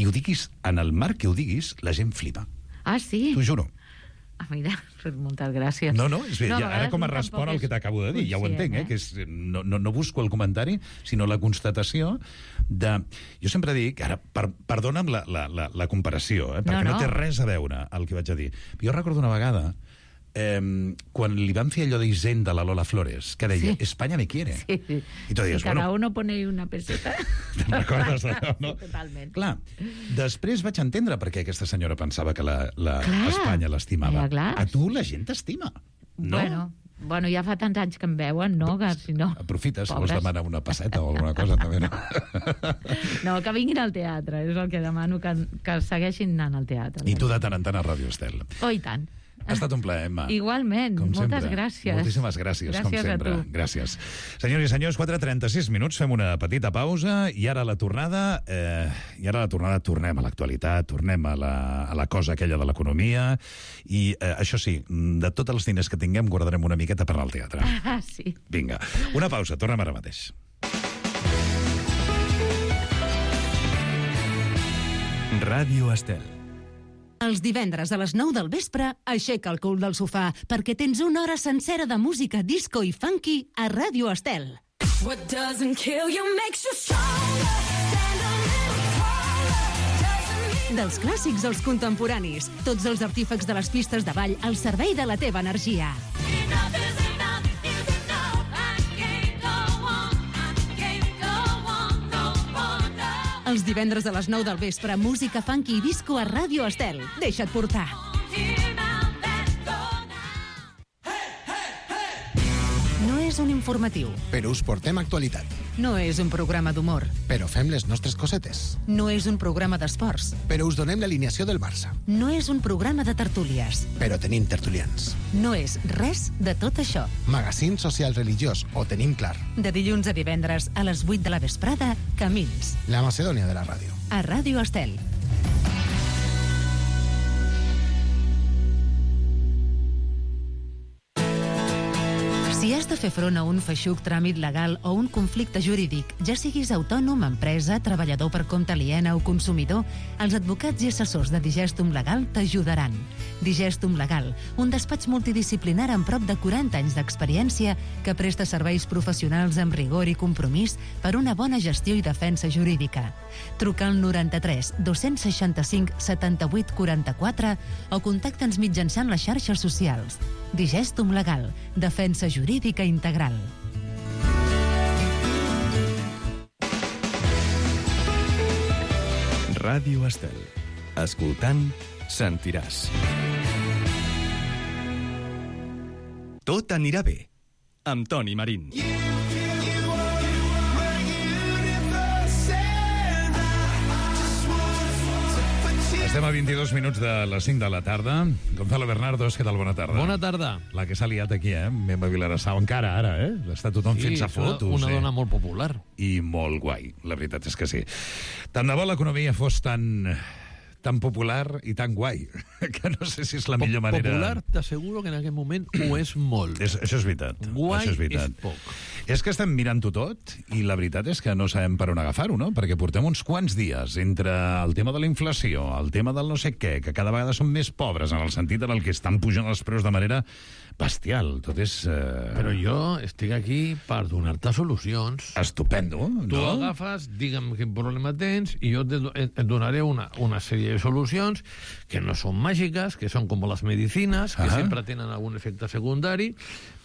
i ho diguis, en el marc que ho diguis, la gent flipa. Ah, sí? T'ho juro. Mira, moltes gràcies. No, és bé, ara com a respon al que t'acabo de dir, ja ho entenc, que és, no busco el comentari, sinó la constatació de... Jo sempre dic, ara, perdona'm la comparació, perquè no té res a veure el que vaig a dir. Jo recordo una vegada, quan li van fer allò d'Hisenda a la Lola Flores, que deia, España me quiere. Sí. I tu dius, cada uno pone una peseta. Te'n recordes d'allò, no? Totalment. Clar, després vaig entendre per què aquesta senyora pensava que Espanya l'estimava. A tu la gent t'estima, no? Bueno, ja fa tants anys que em veuen, no? Que si no... Aprofites, si vols demanar una passeta o alguna cosa, també, no? No, que vinguin al teatre, és el que demano, que segueixin anant al teatre. I tu de tant en tant a Ràdio Estel. Oh, i tant. Ha estat un plaer, Emma. Igualment, moltes gràcies. Moltíssimes gràcies, com sempre. A tu. Gràcies. Senyors i senyors, 4:36 minuts, fem una petita pausa i ara la tornada tornem a l'actualitat, tornem a la cosa aquella de l'economia i, això sí, de tots els diners que tinguem guardarem una miqueta per anar al teatre. Ah, sí. Vinga, una pausa, tornem ara mateix. Ràdio Estel. Els divendres a les 9 del vespre, aixeca el cul del sofà, perquè tens una hora sencera de música disco i funky a Ràdio Estel. What doesn't kill you makes you stronger. Stand a little taller. Dels clàssics als contemporanis, tots els artífecs de les pistes de ball al servei de la teva energia. Enough is enough is enough. I can't go on. I can't go on no more now. Els divendres a les 9 del vespre, música funky i disco a Ràdio Estel. Deixa't portar. No és un informatiu. Però us portem actualitat. No és un programa d'humor. Però fem les nostres cosetes. No és un programa d'esports. Però us donem l'alineació del Barça. No és un programa de tertúlies. Però tenim tertulians. No és res de tot això. Magazín social religiós, ho tenim clar. De dilluns a divendres a les 8 de la vesprada, Camins. La Macedònia de la ràdio. A Ràdio Estel. Si has de fer front a un feixuc tràmit legal o un conflicte jurídic, ja siguis autònom, empresa, treballador per compte aliena o consumidor, els advocats i assessors de Digestum Legal t'ajudaran. Digestum Legal, un despatx multidisciplinar amb prop de 40 anys d'experiència que presta serveis professionals amb rigor i compromís per una bona gestió i defensa jurídica. Truca al 93 265 78 44 o contacta'ns mitjançant les xarxes socials. Digestum Legal, defensa jurídica integral. Ràdio Estel. Escoltant, sentiràs. Tot anirà bé, amb Toni Marín. Estem a 22 minuts de les 5 de la tarda. Gonzalo Bernardos, què tal? Bona tarda. Bona tarda. La que s'ha liat aquí, Memba Vilarassau, encara ara, Està tothom fent-se fotos. Una dona molt popular. I molt guai, la veritat és que sí. Tant de bo l'economia fos tan popular i tan guai, que no sé si és la millor manera... Popular, t'asseguro que en aquest moment ho és molt. Això és veritat. Guai això és veritat. és poc. És que estem mirant-ho tot i la veritat és que no sabem per on agafar-ho, no? Perquè portem uns quants dies entre el tema de la inflació, el tema del no sé què, que cada vegada són més pobres en el sentit en el que estan pujant els preus de manera bestial. Tot és... Però jo estic aquí per donar-te solucions. Estupendo, no? Tu agafes, digue'm quin problema tens i jo et donaré una sèrie de solucions que no són màgiques, que són com les medicines, que sempre tenen algun efecte secundari,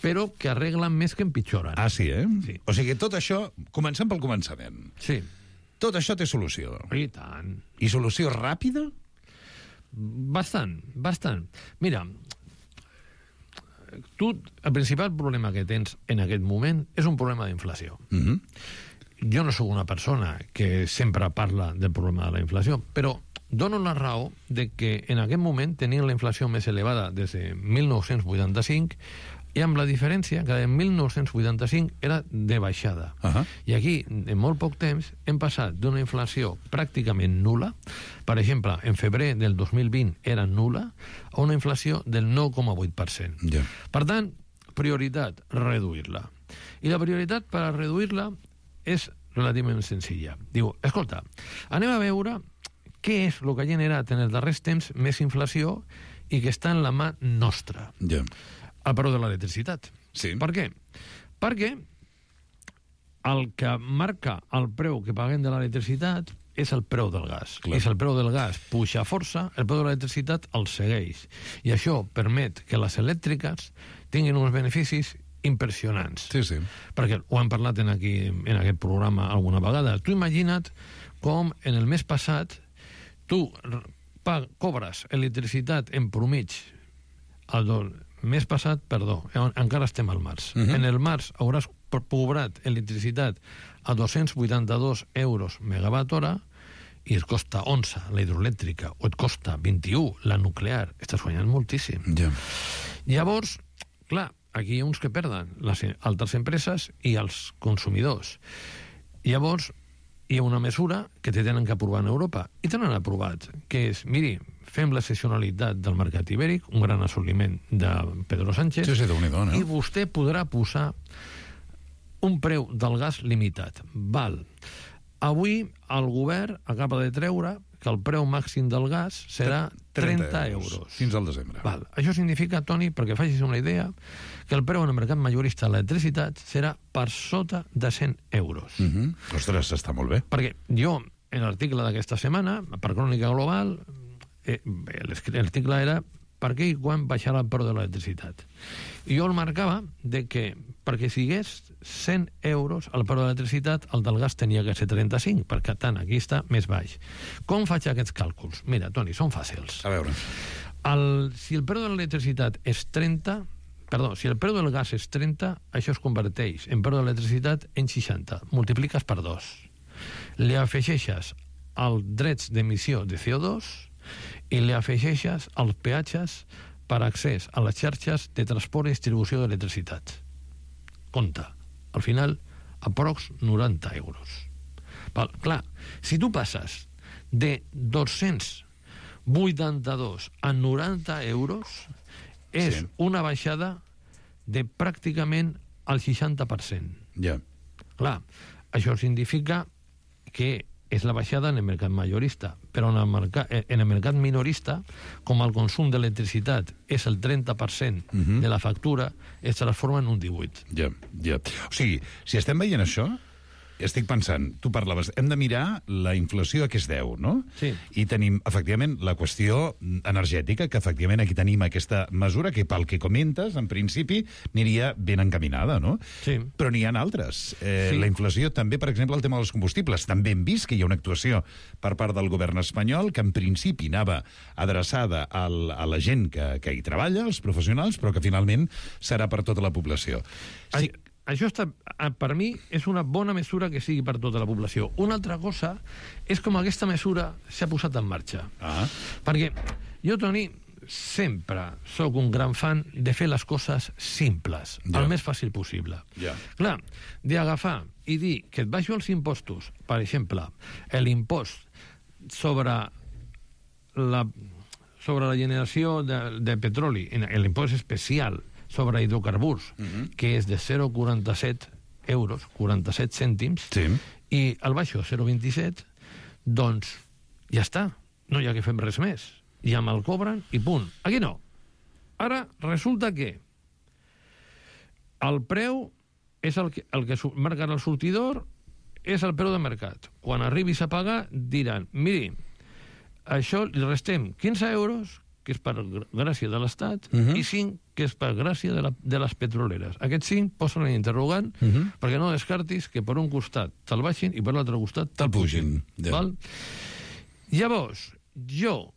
però que arreglen més que empitjoren. Ah, sí, Sí. O sigui, tot això, comencem pel començament. Sí. Tot això té solució. I tant. I solució ràpida? Bastant. Mira, tu, el principal problema que tens en aquest moment és un problema d'inflació. Jo no sóc una persona que sempre parla del problema de la inflació, però dono la raó de que en aquest moment tenien la inflació més elevada des de 1985 i amb la diferència que en 1985 era de baixada. I aquí, en molt poc temps, hem passat d'una inflació pràcticament nula, per exemple, en febrer del 2020 era nula, a una inflació del 9,8%. Per tant, prioritat, reduir-la. I la prioritat per a reduir-la és relativament senzilla. Diu, escolta, anem a veure què és el que ha generat en els darrers temps més inflació i que està en la mà nostra. El preu de l'electricitat. Per què? Perquè el que marca el preu que paguem de l'electricitat és el preu del gas. I si el preu del gas puja força, el preu de l'electricitat el segueix. I això permet que les elèctriques tinguin uns beneficis impressionants. Perquè ho hem parlat en aquest programa alguna vegada. Tu imagina't com en el mes passat tu cobres electricitat en promig el mes passat, encara estem al març. En el març hauràs cobrat electricitat a 282 euros megawatt hora i et costa 11 la hidroelèctrica o et costa 21 la nuclear. Estàs guanyant moltíssim. Llavors, clar, aquí hi ha uns que perden, les altres empreses i els consumidors. Llavors, hi ha una mesura que te tenen que aprovar en Europa i tenen aprovat, que és, miri, fem la sessionalitat del mercat ibèric, un gran assoliment de Pedro Sánchez, i vostè podrà posar un preu del gas limitat. Avui el govern acaba de treure que el preu màxim del gas serà 30 euros. Fins al desembre. Això significa, Toni, perquè facis una idea, que el preu en el mercat majorista de l'electricitat serà per sota de 100 euros. Ostres, està molt bé. Perquè jo, en l'article d'aquesta setmana, per Crònica Global, l'article era per què i quan baixarà el preu de l'electricitat. I jo el marcava de que perquè sigués 100 euros el preu de l'electricitat, el del gas tenia que ser 35, perquè tant, aquí està més baix. Com faig aquests càlculs? Mira, Toni, són fàcils. A veure. Si el preu de l'electricitat és 30... Perdó, si el preu del gas és 30, això es converteix en preu de l'electricitat en 60. Multipliques per 2. Li afegeixes els drets d'emissió de CO2 i li afegeixes els peatges per accés a les xarxes de transport i distribució d'electricitat. Compte, al final, aprox 90 euros. Clar, si tu passes de 282 a 90 euros, és una baixada de pràcticament el 60%. Clar, això significa que és la baixada en el mercat majorista, però en el mercat minorista, com el consum d'electricitat és el 30% de la factura, es transforma en un 18%. O sigui, si estem veient això, estic pensant, tu parlaves, hem de mirar la inflació a què es deu, no? I tenim, efectivament, la qüestió energètica, que efectivament aquí tenim aquesta mesura que, pel que comentes, en principi, aniria ben encaminada, no? Però n'hi ha altres. La inflació també, per exemple, el tema dels combustibles. També hem vist que hi ha una actuació per part del govern espanyol que, en principi, anava adreçada a la gent que hi treballa, els professionals, però que, finalment, serà per tota la població. Això per mi és una bona mesura que sigui per tota la població. Una altra cosa és com aquesta mesura s'ha posat en marxa. Perquè jo, Toni, sempre sóc un gran fan de fer les coses simples, el més fàcil possible. Clar, d'agafar i dir que et baixo els impostos, per exemple, l'impost sobre la generació de petroli, l'impost especial sobre hidrocarburs, que és de 0,47 euros, 47 cèntims, i el baixo 0,27, doncs ja està, no hi ha que fer res més. Ja me'l cobren i punt. Aquí no. Ara resulta que el preu és el que marca el sortidor, és el preu de mercat. Quan arribis a pagar, diran, miri, això li restem 15 euros, que és per gràcia de l'Estat, i 5, que és per gràcia de les petroleres. Aquests 5 posen en interrogant perquè no descartis que per un costat te'l baixin i per l'altre costat te'l pugin. Llavors, jo,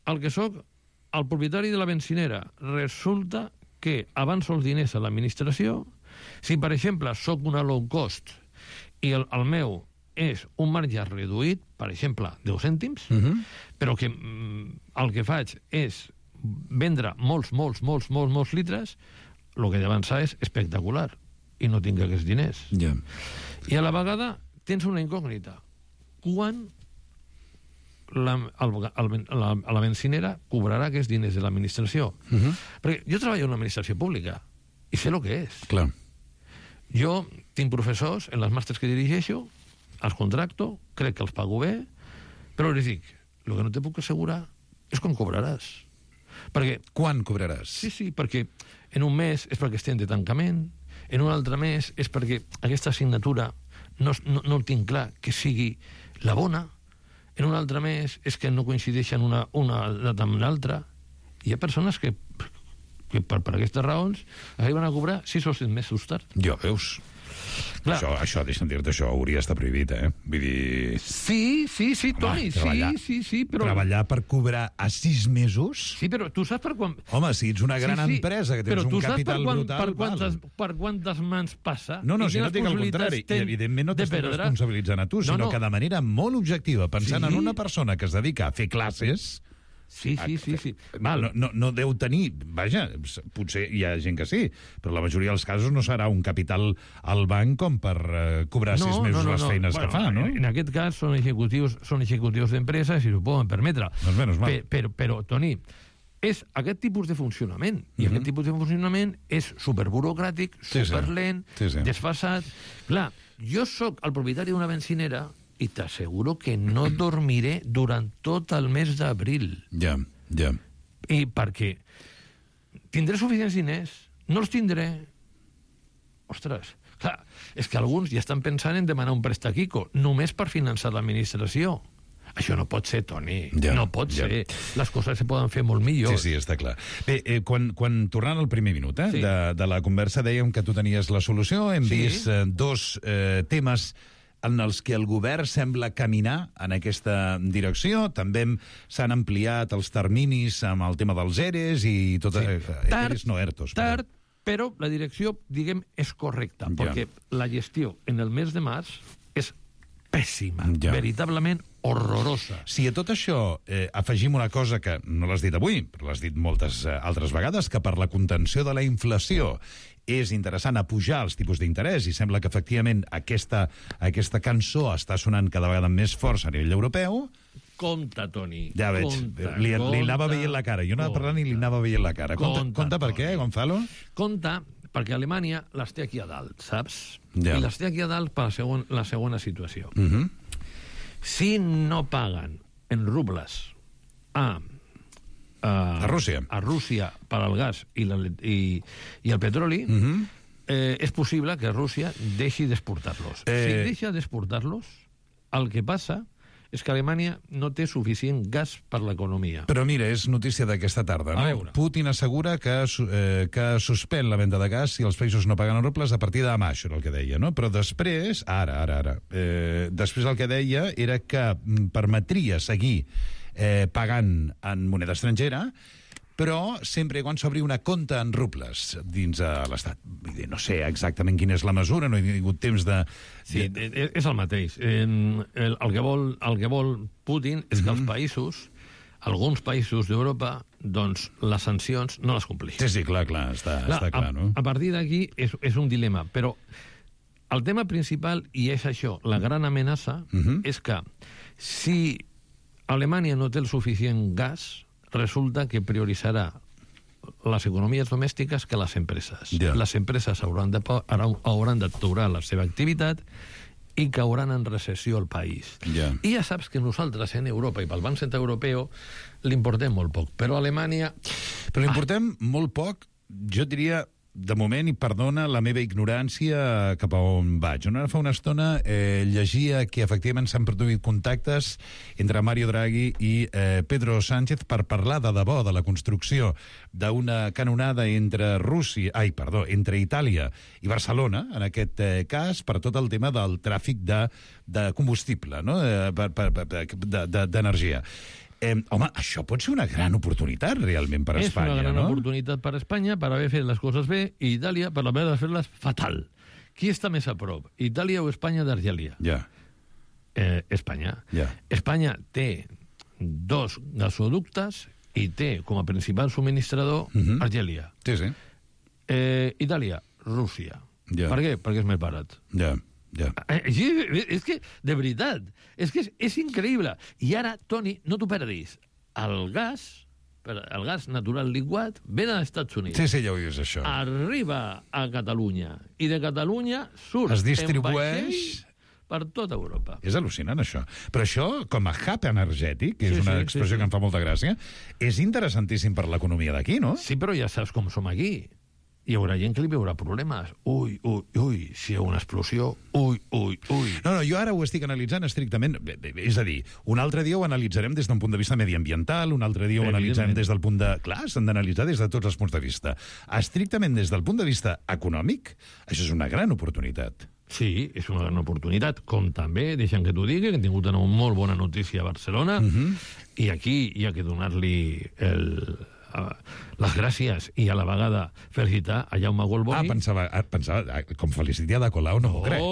el que sóc el propietari de la benzinera, resulta que avanço els diners a l'administració. Si, per exemple, sóc una low cost i el meu és un marge reduït, per exemple, 10 cèntims, però que el que faig és vendre molts litres, el que he d'avançar és espectacular i no tinc aquests diners. I a la vegada tens una incògnita. Quan la benzinera cobrarà aquests diners de l'administració? Perquè jo treballo en l'administració pública i sé el que és. Clar. Jo tinc professors en les màsters que dirigeixo, els contracto, crec que els pago bé, però els dic, el que no te puc assegurar és quan cobraràs. Perquè, quan cobraràs? Sí, perquè en un mes és perquè estem de tancament, en un altre mes és perquè aquesta assignatura no el tinc clar que sigui la bona, en un altre mes és que no coincideixen una data amb l'altra. Hi ha persones que per aquestes raons arriben a cobrar 6 o 7 mesos tard. Ja veus. Això, deixa'm dir-te, això hauria d'estar prohibit, eh? Vull dir... Sí, Toni, sí, però... Treballar per cobrar a 6 mesos? Sí, però tu saps per quan... Home, si ets una gran empresa, que tens un capital brutal... Per quantes mans passa? No, si no dic el contrari. I, evidentment, no t'estic responsabilitzant a tu, sinó que de manera molt objectiva, pensant en una persona que es dedica a fer classes... Sí. No deu tenir... Vaja, potser hi ha gent que sí, però la majoria dels casos no serà un capital al banc com per cobrar 6 mesos les feines que fa, no? En aquest cas són executius d'empreses i s'ho poden permetre. Doncs menys mal. Però, Toni, és aquest tipus de funcionament. I aquest tipus de funcionament és superburocràtic, superlent, desfasat. Clar, jo sóc el propietari d'una benzinera i t'asseguro que no dormiré durant tot el mes d'abril. Ja. I perquè tindré suficients diners? No els tindré? Ostres, clar, és que alguns ja estan pensant en demanar un préstec ICO, només per finançar l'administració. Això no pot ser, Toni. No pot ser. Les coses se poden fer molt millor. Sí, està clar. Bé, quan tornant al primer minut de la conversa, dèiem que tu tenies la solució. Hem vist dos temes en els que el govern sembla caminar en aquesta direcció. També s'han ampliat els terminis amb el tema dels ERES i tot... ERES no ERTOs. Tard, però la direcció, diguem, és correcta, perquè la gestió en el mes de març és pèssima, veritablement horrorosa. Si a tot això afegim una cosa que no l'has dit avui, però l'has dit moltes altres vegades, que per la contenció de la inflació és interessant apujar els tipus d'interès, i sembla que efectivament aquesta cançó està sonant cada vegada amb més força a nivell europeu. Compte, Toni. Ja veig. Li anava veient la cara. Jo anava parlant i li anava veient la cara. Compte per què, Gonzalo? Compte perquè Alemanya les té aquí a dalt, saps? I les té aquí a dalt per la segona situació. Si no paguen en rubles a Rússia per al gas i el petroli, és possible que Rússia deixi d'exportar-los. Si deixa d'exportar-los, el que passa és que Alemanya no té suficient gas per l'economia. Però mira, és notícia d'aquesta tarda, no? Putin assegura que suspèn la venda de gas si els països no paguen en rubles a partir de demà, això era el que deia, no? Però després, després el que deia era que permetria seguir pagant en moneda estrangera, però sempre quan s'obri una compta en rubles dins de l'Estat. No sé exactament quina és la mesura, no he tingut temps de... Sí, és el mateix. El que vol Putin és que els països, alguns països d'Europa, doncs les sancions no les compleixin. Sí, clar, està clar, no? A partir d'aquí és un dilema, però el tema principal, i és això, la gran amenaça, és que si Alemanya no té el suficient gas, resulta que prioritzarà les economies domèstiques que les empreses. Les empreses hauran d'aturar la seva activitat i cauran en recessió al país. I ja saps que nosaltres en Europa i pel Banc Central Europeu l'importem molt poc, però a Alemanya... Però l'importem molt poc, jo diria... De moment, i perdona la meva ignorància cap a on vaig. Ara fa una estona llegia que efectivament s'han produït contactes entre Mario Draghi i Pedro Sánchez per parlar de debò de la construcció d'una canonada entre Itàlia i Barcelona, en aquest cas, per tot el tema del tràfic de combustible, no? d'energia. Home, això pot ser una gran oportunitat realment per Espanya, És una gran no? oportunitat per Espanya per haver fet les coses bé i Itàlia per haver de fer-les fatal. Qui està més a prop, Itàlia o Espanya d'Argèlia? Ja. Espanya. Ja. Espanya té 2 gasoductes i té com a principal subministrador Argèlia. Sí, sí. Itàlia, Rússia. Ja. Per què? Perquè és més barat. Ja, ja. Sí, és que, de veritat, és que és increïble. I ara, Toni, no t'ho perdis, el gas natural liquat ve dels Estats Units. Sí, ja ho dius, això. Arriba a Catalunya, i de Catalunya surt Es distribueix... en vaixell per tota Europa. És al·lucinant, això. Però això, com a hub energètic, que és Sí, una sí, expressió sí. que em fa molta gràcia, és interessantíssim per l'economia d'aquí, no? Sí, però ja saps com som aquí. Hi haurà gent que li veurà problemes. Ui, si hi ha una explosió, ui. No, jo ara ho estic analitzant estrictament, és a dir, un altre dia ho analitzarem des d'un punt de vista mediambiental, un altre dia ho analitzarem des del punt de... Clar, s'han d'analitzar des de tots els punts de vista. Estrictament des del punt de vista econòmic, això és una gran oportunitat. Sí, és una gran oportunitat, com també, deixa'm que t'ho digui, que hem tingut una molt bona notícia a Barcelona, i aquí hi ha que donar-li les gràcies i a la vegada felicitar a Jaume Golboni. Pensava com felicitar a Ada Colau, no m'ho crec.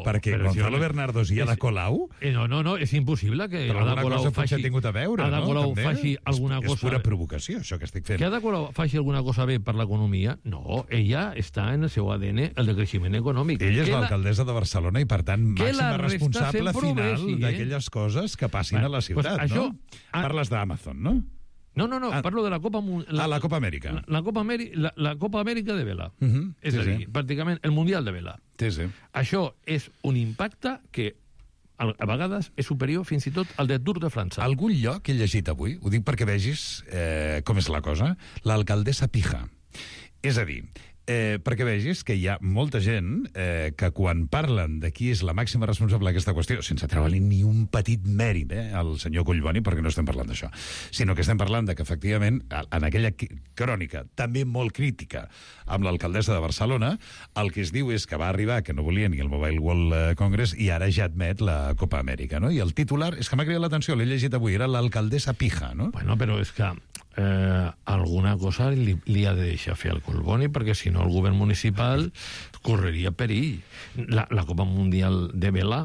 Perquè Gonzalo Bernardo i Ada Colau... No, és impossible que Però Ada alguna Colau cosa potser ha tingut a veure, Ada no? Colau També. faci alguna cosa... És pura provocació, això que estic fent. Que Ada Colau faci alguna cosa bé per l'economia? No, ella està en el seu ADN el de creixement econòmic. Ella és l'alcaldessa de Barcelona i, per tant, màxima responsable final d'aquelles coses que passin a la ciutat, no? Parles d'Amazon, no? No, parlo de la Copa... la Copa Amèrica. La Copa Amèrica de vela. És a dir, pràcticament el Mundial de vela. Sí. Això és un impacte que a vegades és superior fins i tot al de Tour de França. Algun lloc he llegit avui, ho dic perquè vegis com és la cosa, l'alcaldessa Pija. És a dir, perquè vegis que hi ha molta gent que quan parlen de qui és la màxima responsable d'aquesta qüestió, sense treure-li ni un petit mèrit al senyor Collboni, perquè no estem parlant d'això, sinó que estem parlant de que, efectivament, en aquella crònica, també molt crítica, amb l'alcaldessa de Barcelona, el que es diu és que va arribar, que no volia ni el Mobile World Congress, i ara ja admet la Copa Amèrica, no? I el titular, és que m'ha cridat l'atenció, l'he llegit avui, era l'alcaldessa Pija, no? Bueno, però és que alguna cosa li ha de deixar fer al Collboni, perquè si no el govern municipal correria perill. La Copa Mundial de Vela,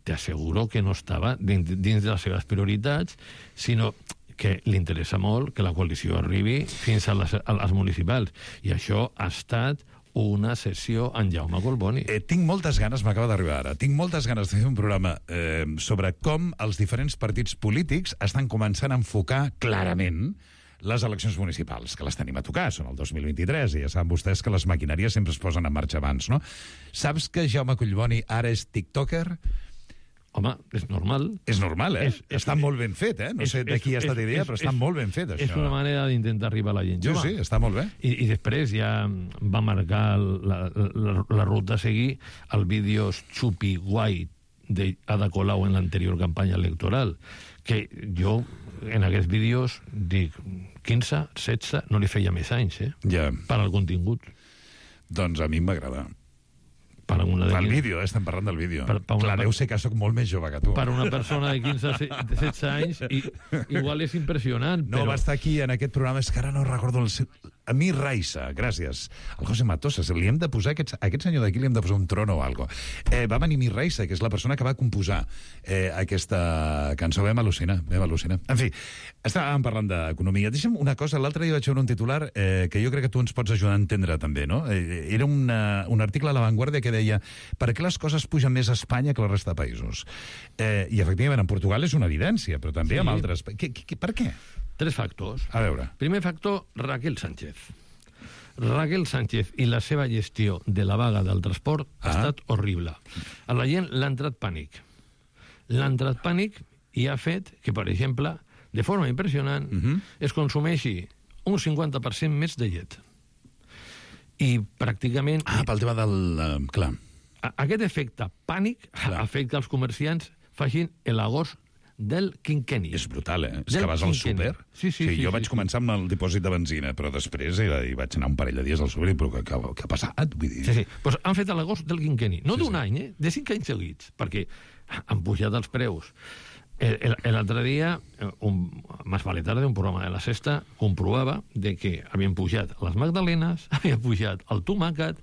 t'asseguro que no estava dins de les seves prioritats, sinó que li interessa molt que la coalició arribi fins a les municipals. I això ha estat una sessió en Jaume Collboni. Tinc moltes ganes, m'acaba d'arribar ara, tinc moltes ganes de fer un programa sobre com els diferents partits polítics estan començant a enfocar clarament les eleccions municipals, que les tenim a tocar, són el 2023, i ja saben vostès que les maquinàries sempre es posen en marxa abans, no? Saps que Jaume Collboni ara és tiktoker? Home, és normal. És normal, està molt ben fet, No sé de qui ha estat idea, però està molt ben fet, això. És una manera d'intentar arribar a la gent jove. Sí, està molt bé. I després ja va marcar la ruta a seguir el vídeo Chupi Guai d'Ada Colau en l'anterior campanya electoral, que jo en aquests vídeos dic 15, 16, no li feia més anys, Ja. per al contingut. Doncs a mi m'agrada. Per el vídeo, estem parlant del vídeo. Clar, deu ser que sóc molt més jove que tu. Per una persona de 15 16 anys, igual és impressionant. No, va estar aquí en aquest programa, és que ara no recordo el seu... Amir Raissa, gràcies. El José Matosa, li hem de posar, aquest senyor d'aquí li hem de posar un trono o alguna cosa. Va venir Amir Raissa, que és la persona que va composar aquesta cançó. Vam al·lucinar. En fi, estàvem parlant d'economia. Deixa'm una cosa, l'altre dia vaig veure un titular que jo crec que tu ens pots ajudar a entendre també, no? Era un article a La Vanguardia que deia per què les coses pugen més a Espanya que la resta de països. I efectivament, en Portugal és una evidència, però també en altres... Per què? 3 factors. A veure. Primer factor, Raquel Sánchez. Raquel Sánchez i la seva gestió de la vaga del transport ha estat horrible. A la gent l'ha entrat pànic. L'ha entrat pànic i ha fet que, per exemple, de forma impressionant, es consumeixi un 50% més de llet. I pràcticament... pel tema del... Clar. Aquest efecte pànic afecta els comerciants facin l'agost del quinquenni. És brutal, És que vas al súper... Sí, jo vaig començar amb el dipòsit de benzina, però després hi vaig anar un parell de dies al súper i però què ha passat? Vull dir... Sí. Pues han fet l'agost del quinquenni. No d'un any, de 5 anys seguits, perquè han pujat els preus El altre dia, Más vale tarde, un programa de la Sexta, comprovava de que havien pujat les magdalenes, havia pujat el tomàquet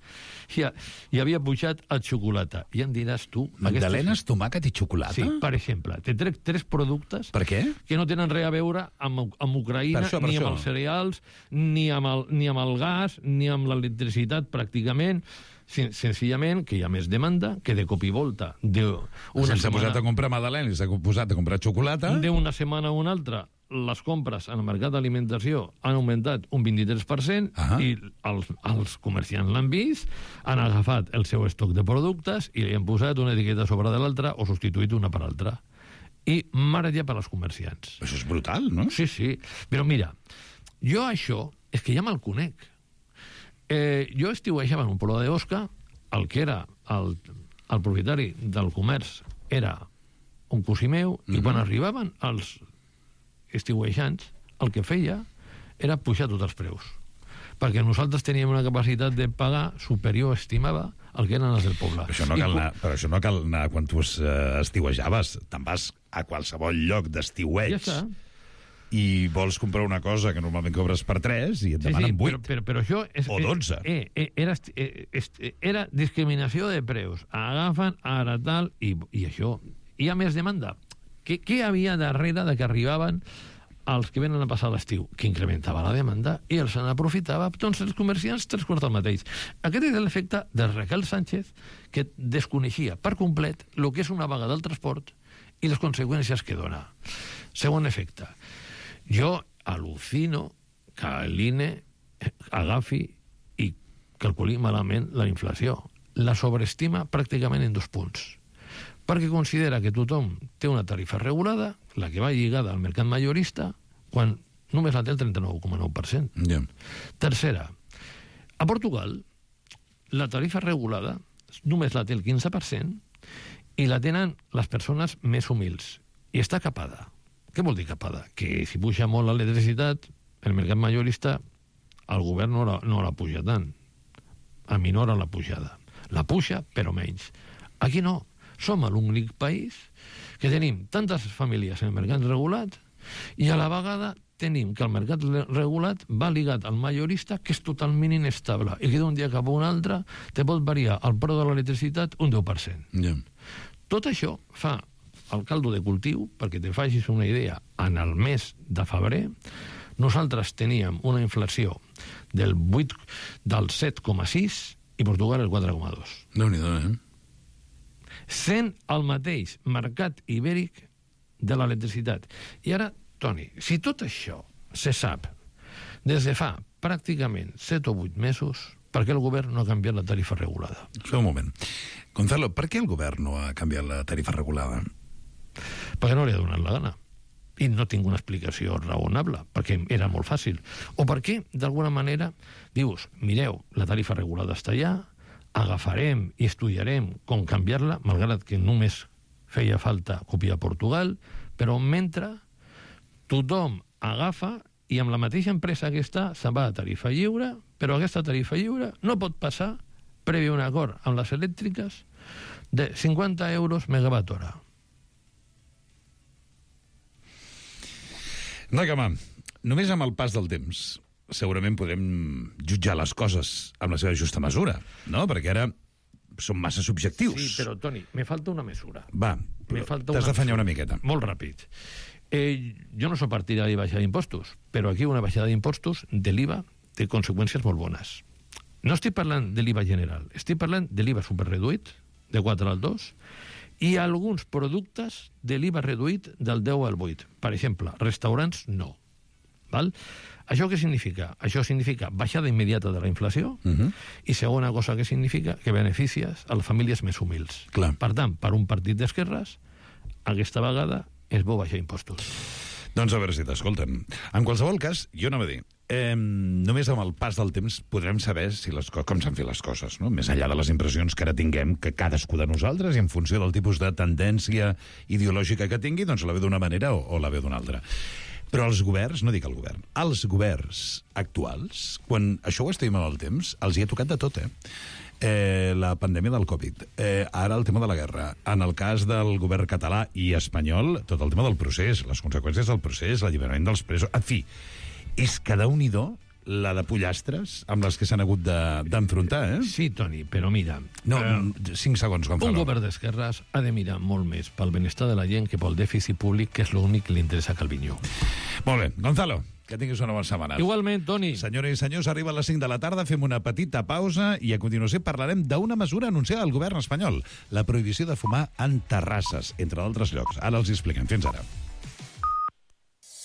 i havia pujat el xocolata. I em diràs tu... Magdalenes, tomàquet i xocolata? Sí, per exemple. Te trec 3 productes que no tenen res a veure amb Ucraïna, ni amb els cereals, ni amb el gas, ni amb l'electricitat, pràcticament. Senzillament que hi ha més demanda, que de cop i volta s'ha posat a comprar magdalenes, s'ha posat a comprar xocolata. D'una setmana a una altra, les compres en el mercat d'alimentació han augmentat un 23% i els comerciants l'han vist, han agafat el seu estoc de productes i li han posat una etiqueta sobre de l'altra o substituït una per altra. I meravella per als comerciants. Això és brutal, no? Sí, sí. Però mira, jo això és que ja me'l conec. Jo estiuejava en un poble d'Osca, el que era el propietari del comerç era un cosí meu, i quan arribaven els estiuejants, el que feia era pujar tots els preus. Perquè nosaltres teníem una capacitat de pagar superior, estimava, al que eren els del poble. Però això no cal anar quan tu estiuejaves. Te'n vas a qualsevol lloc d'estiueig. Ja està. I vols comprar una cosa que normalment cobres per 3 i et demanen 8. Però això o 12. Era discriminació de preus. Agafen, ara tal, i això. Hi ha més demanda. Què havia darrere de que arribaven els que venen a passar l'estiu? Que incrementava la demanda i els n'aprofitava. Doncs els comerciants 3/4 el mateix. Aquest és l'efecte de Raquel Sánchez, que desconeixia per complet el que és una vaga del transport i les conseqüències que dona. Segon efecte. Jo al·lucino que l'INE agafi i calculi malament la inflació. La sobreestima pràcticament en 2 punts. Perquè considera que tothom té una tarifa regulada, la que va lligada al mercat majorista, quan només la té el 39,9%. Yeah. Tercera, a Portugal, la tarifa regulada només la té el 15% i la tenen les persones més humils. I està capada. Què vol dir capada? Que si puja molt l'electricitat, el mercat majorista, el govern no la puja tant. Aminora la pujada. La puja, però menys. Aquí no. Som l'únic país que tenim tantes famílies en el mercat regulat i a la vegada tenim que el mercat regulat va ligat al majorista, que és totalment inestable i que d'un dia cap a un altre te pot variar el preu de l'electricitat un 10%. Yeah. Tot això fa el caldo de cultiu, perquè te facis una idea, en el mes de febrer nosaltres teníem una inflació del 7,6 i Portugal el 4,2. Déu-n'hi-do, Sent el mateix mercat ibèric de l'electricitat. I ara, Toni, si tot això se sap des de fa pràcticament 7 o 8 mesos, per què el govern no ha canviat la tarifa regulada? Espera un moment. Gonzalo, per què el govern no ha canviat la tarifa regulada? Perquè no li ha donat la gana. I no tinc una explicació raonable, perquè era molt fàcil. O perquè, d'alguna manera, dius, mireu, la tarifa regulada està allà, agafarem i estudiarem com canviar-la, malgrat que només feia falta copiar Portugal, però mentre tothom agafa i amb la mateixa empresa que està se'n va a tarifa lliure, però aquesta tarifa lliure no pot passar, previ a un acord amb les elèctriques, de 50 euros megawatt hora. Noi Camà, només amb el pas del temps segurament podrem jutjar les coses amb la seva justa mesura, no? Perquè ara són massa subjectius. Sí, però, Toni, me falta una mesura. Va, t'has d'afanyar una miqueta. Molt ràpid. Jo no soc partidari de baixar d'impostos, però aquí una baixada d'impostos de l'IVA té conseqüències molt bones. No estic parlant de l'IVA general, estic parlant de l'IVA superreduït, de 4 al 2, i alguns productes de l'IVA reduït del 10 al 8. Per exemple, restaurants no. Val? Això què significa? Això significa baixada immediata de la inflació i segona cosa que significa que beneficies a les famílies més humils. Clar. Per tant, per un partit d'esquerres, aquesta vegada és bo baixar impostos. Doncs a veure si t'escolten. En qualsevol cas, jo anava a dir, només amb el pas del temps podrem saber si com s'han fet les coses, no? Més enllà de les impressions que ara tinguem, que cadascú de nosaltres, i en funció del tipus de tendència ideològica que tingui, doncs la ve d'una manera o la ve d'una altra. Però els governs, no dic el govern, els governs actuals, quan això ho estimem al temps, els hi ha tocat de tot, la pandèmia del Covid, ara el tema de la guerra, en el cas del govern català i espanyol, tot el tema del procés, les conseqüències del procés, l'alliberament dels presos, en fi, és que Déu-n'hi-do la de pollastres amb les que s'han hagut d'enfrontar, eh? Sí, Toni, però mira... No, 5 segons, Gonzalo. Un govern d'esquerres ha de mirar molt més pel benestar de la gent que pel dèficit públic, que és l'únic que li interessa a Calviño. Molt bé, Gonzalo, que tinguis una bona setmana. Igualment, Toni. Senyores i senyors, arriba a les 5 de la tarda, fem una petita pausa i a continuació parlarem d'una mesura anunciada al govern espanyol, la prohibició de fumar en terrasses, entre d'altres llocs. Ara els hi expliquem. Fins ara.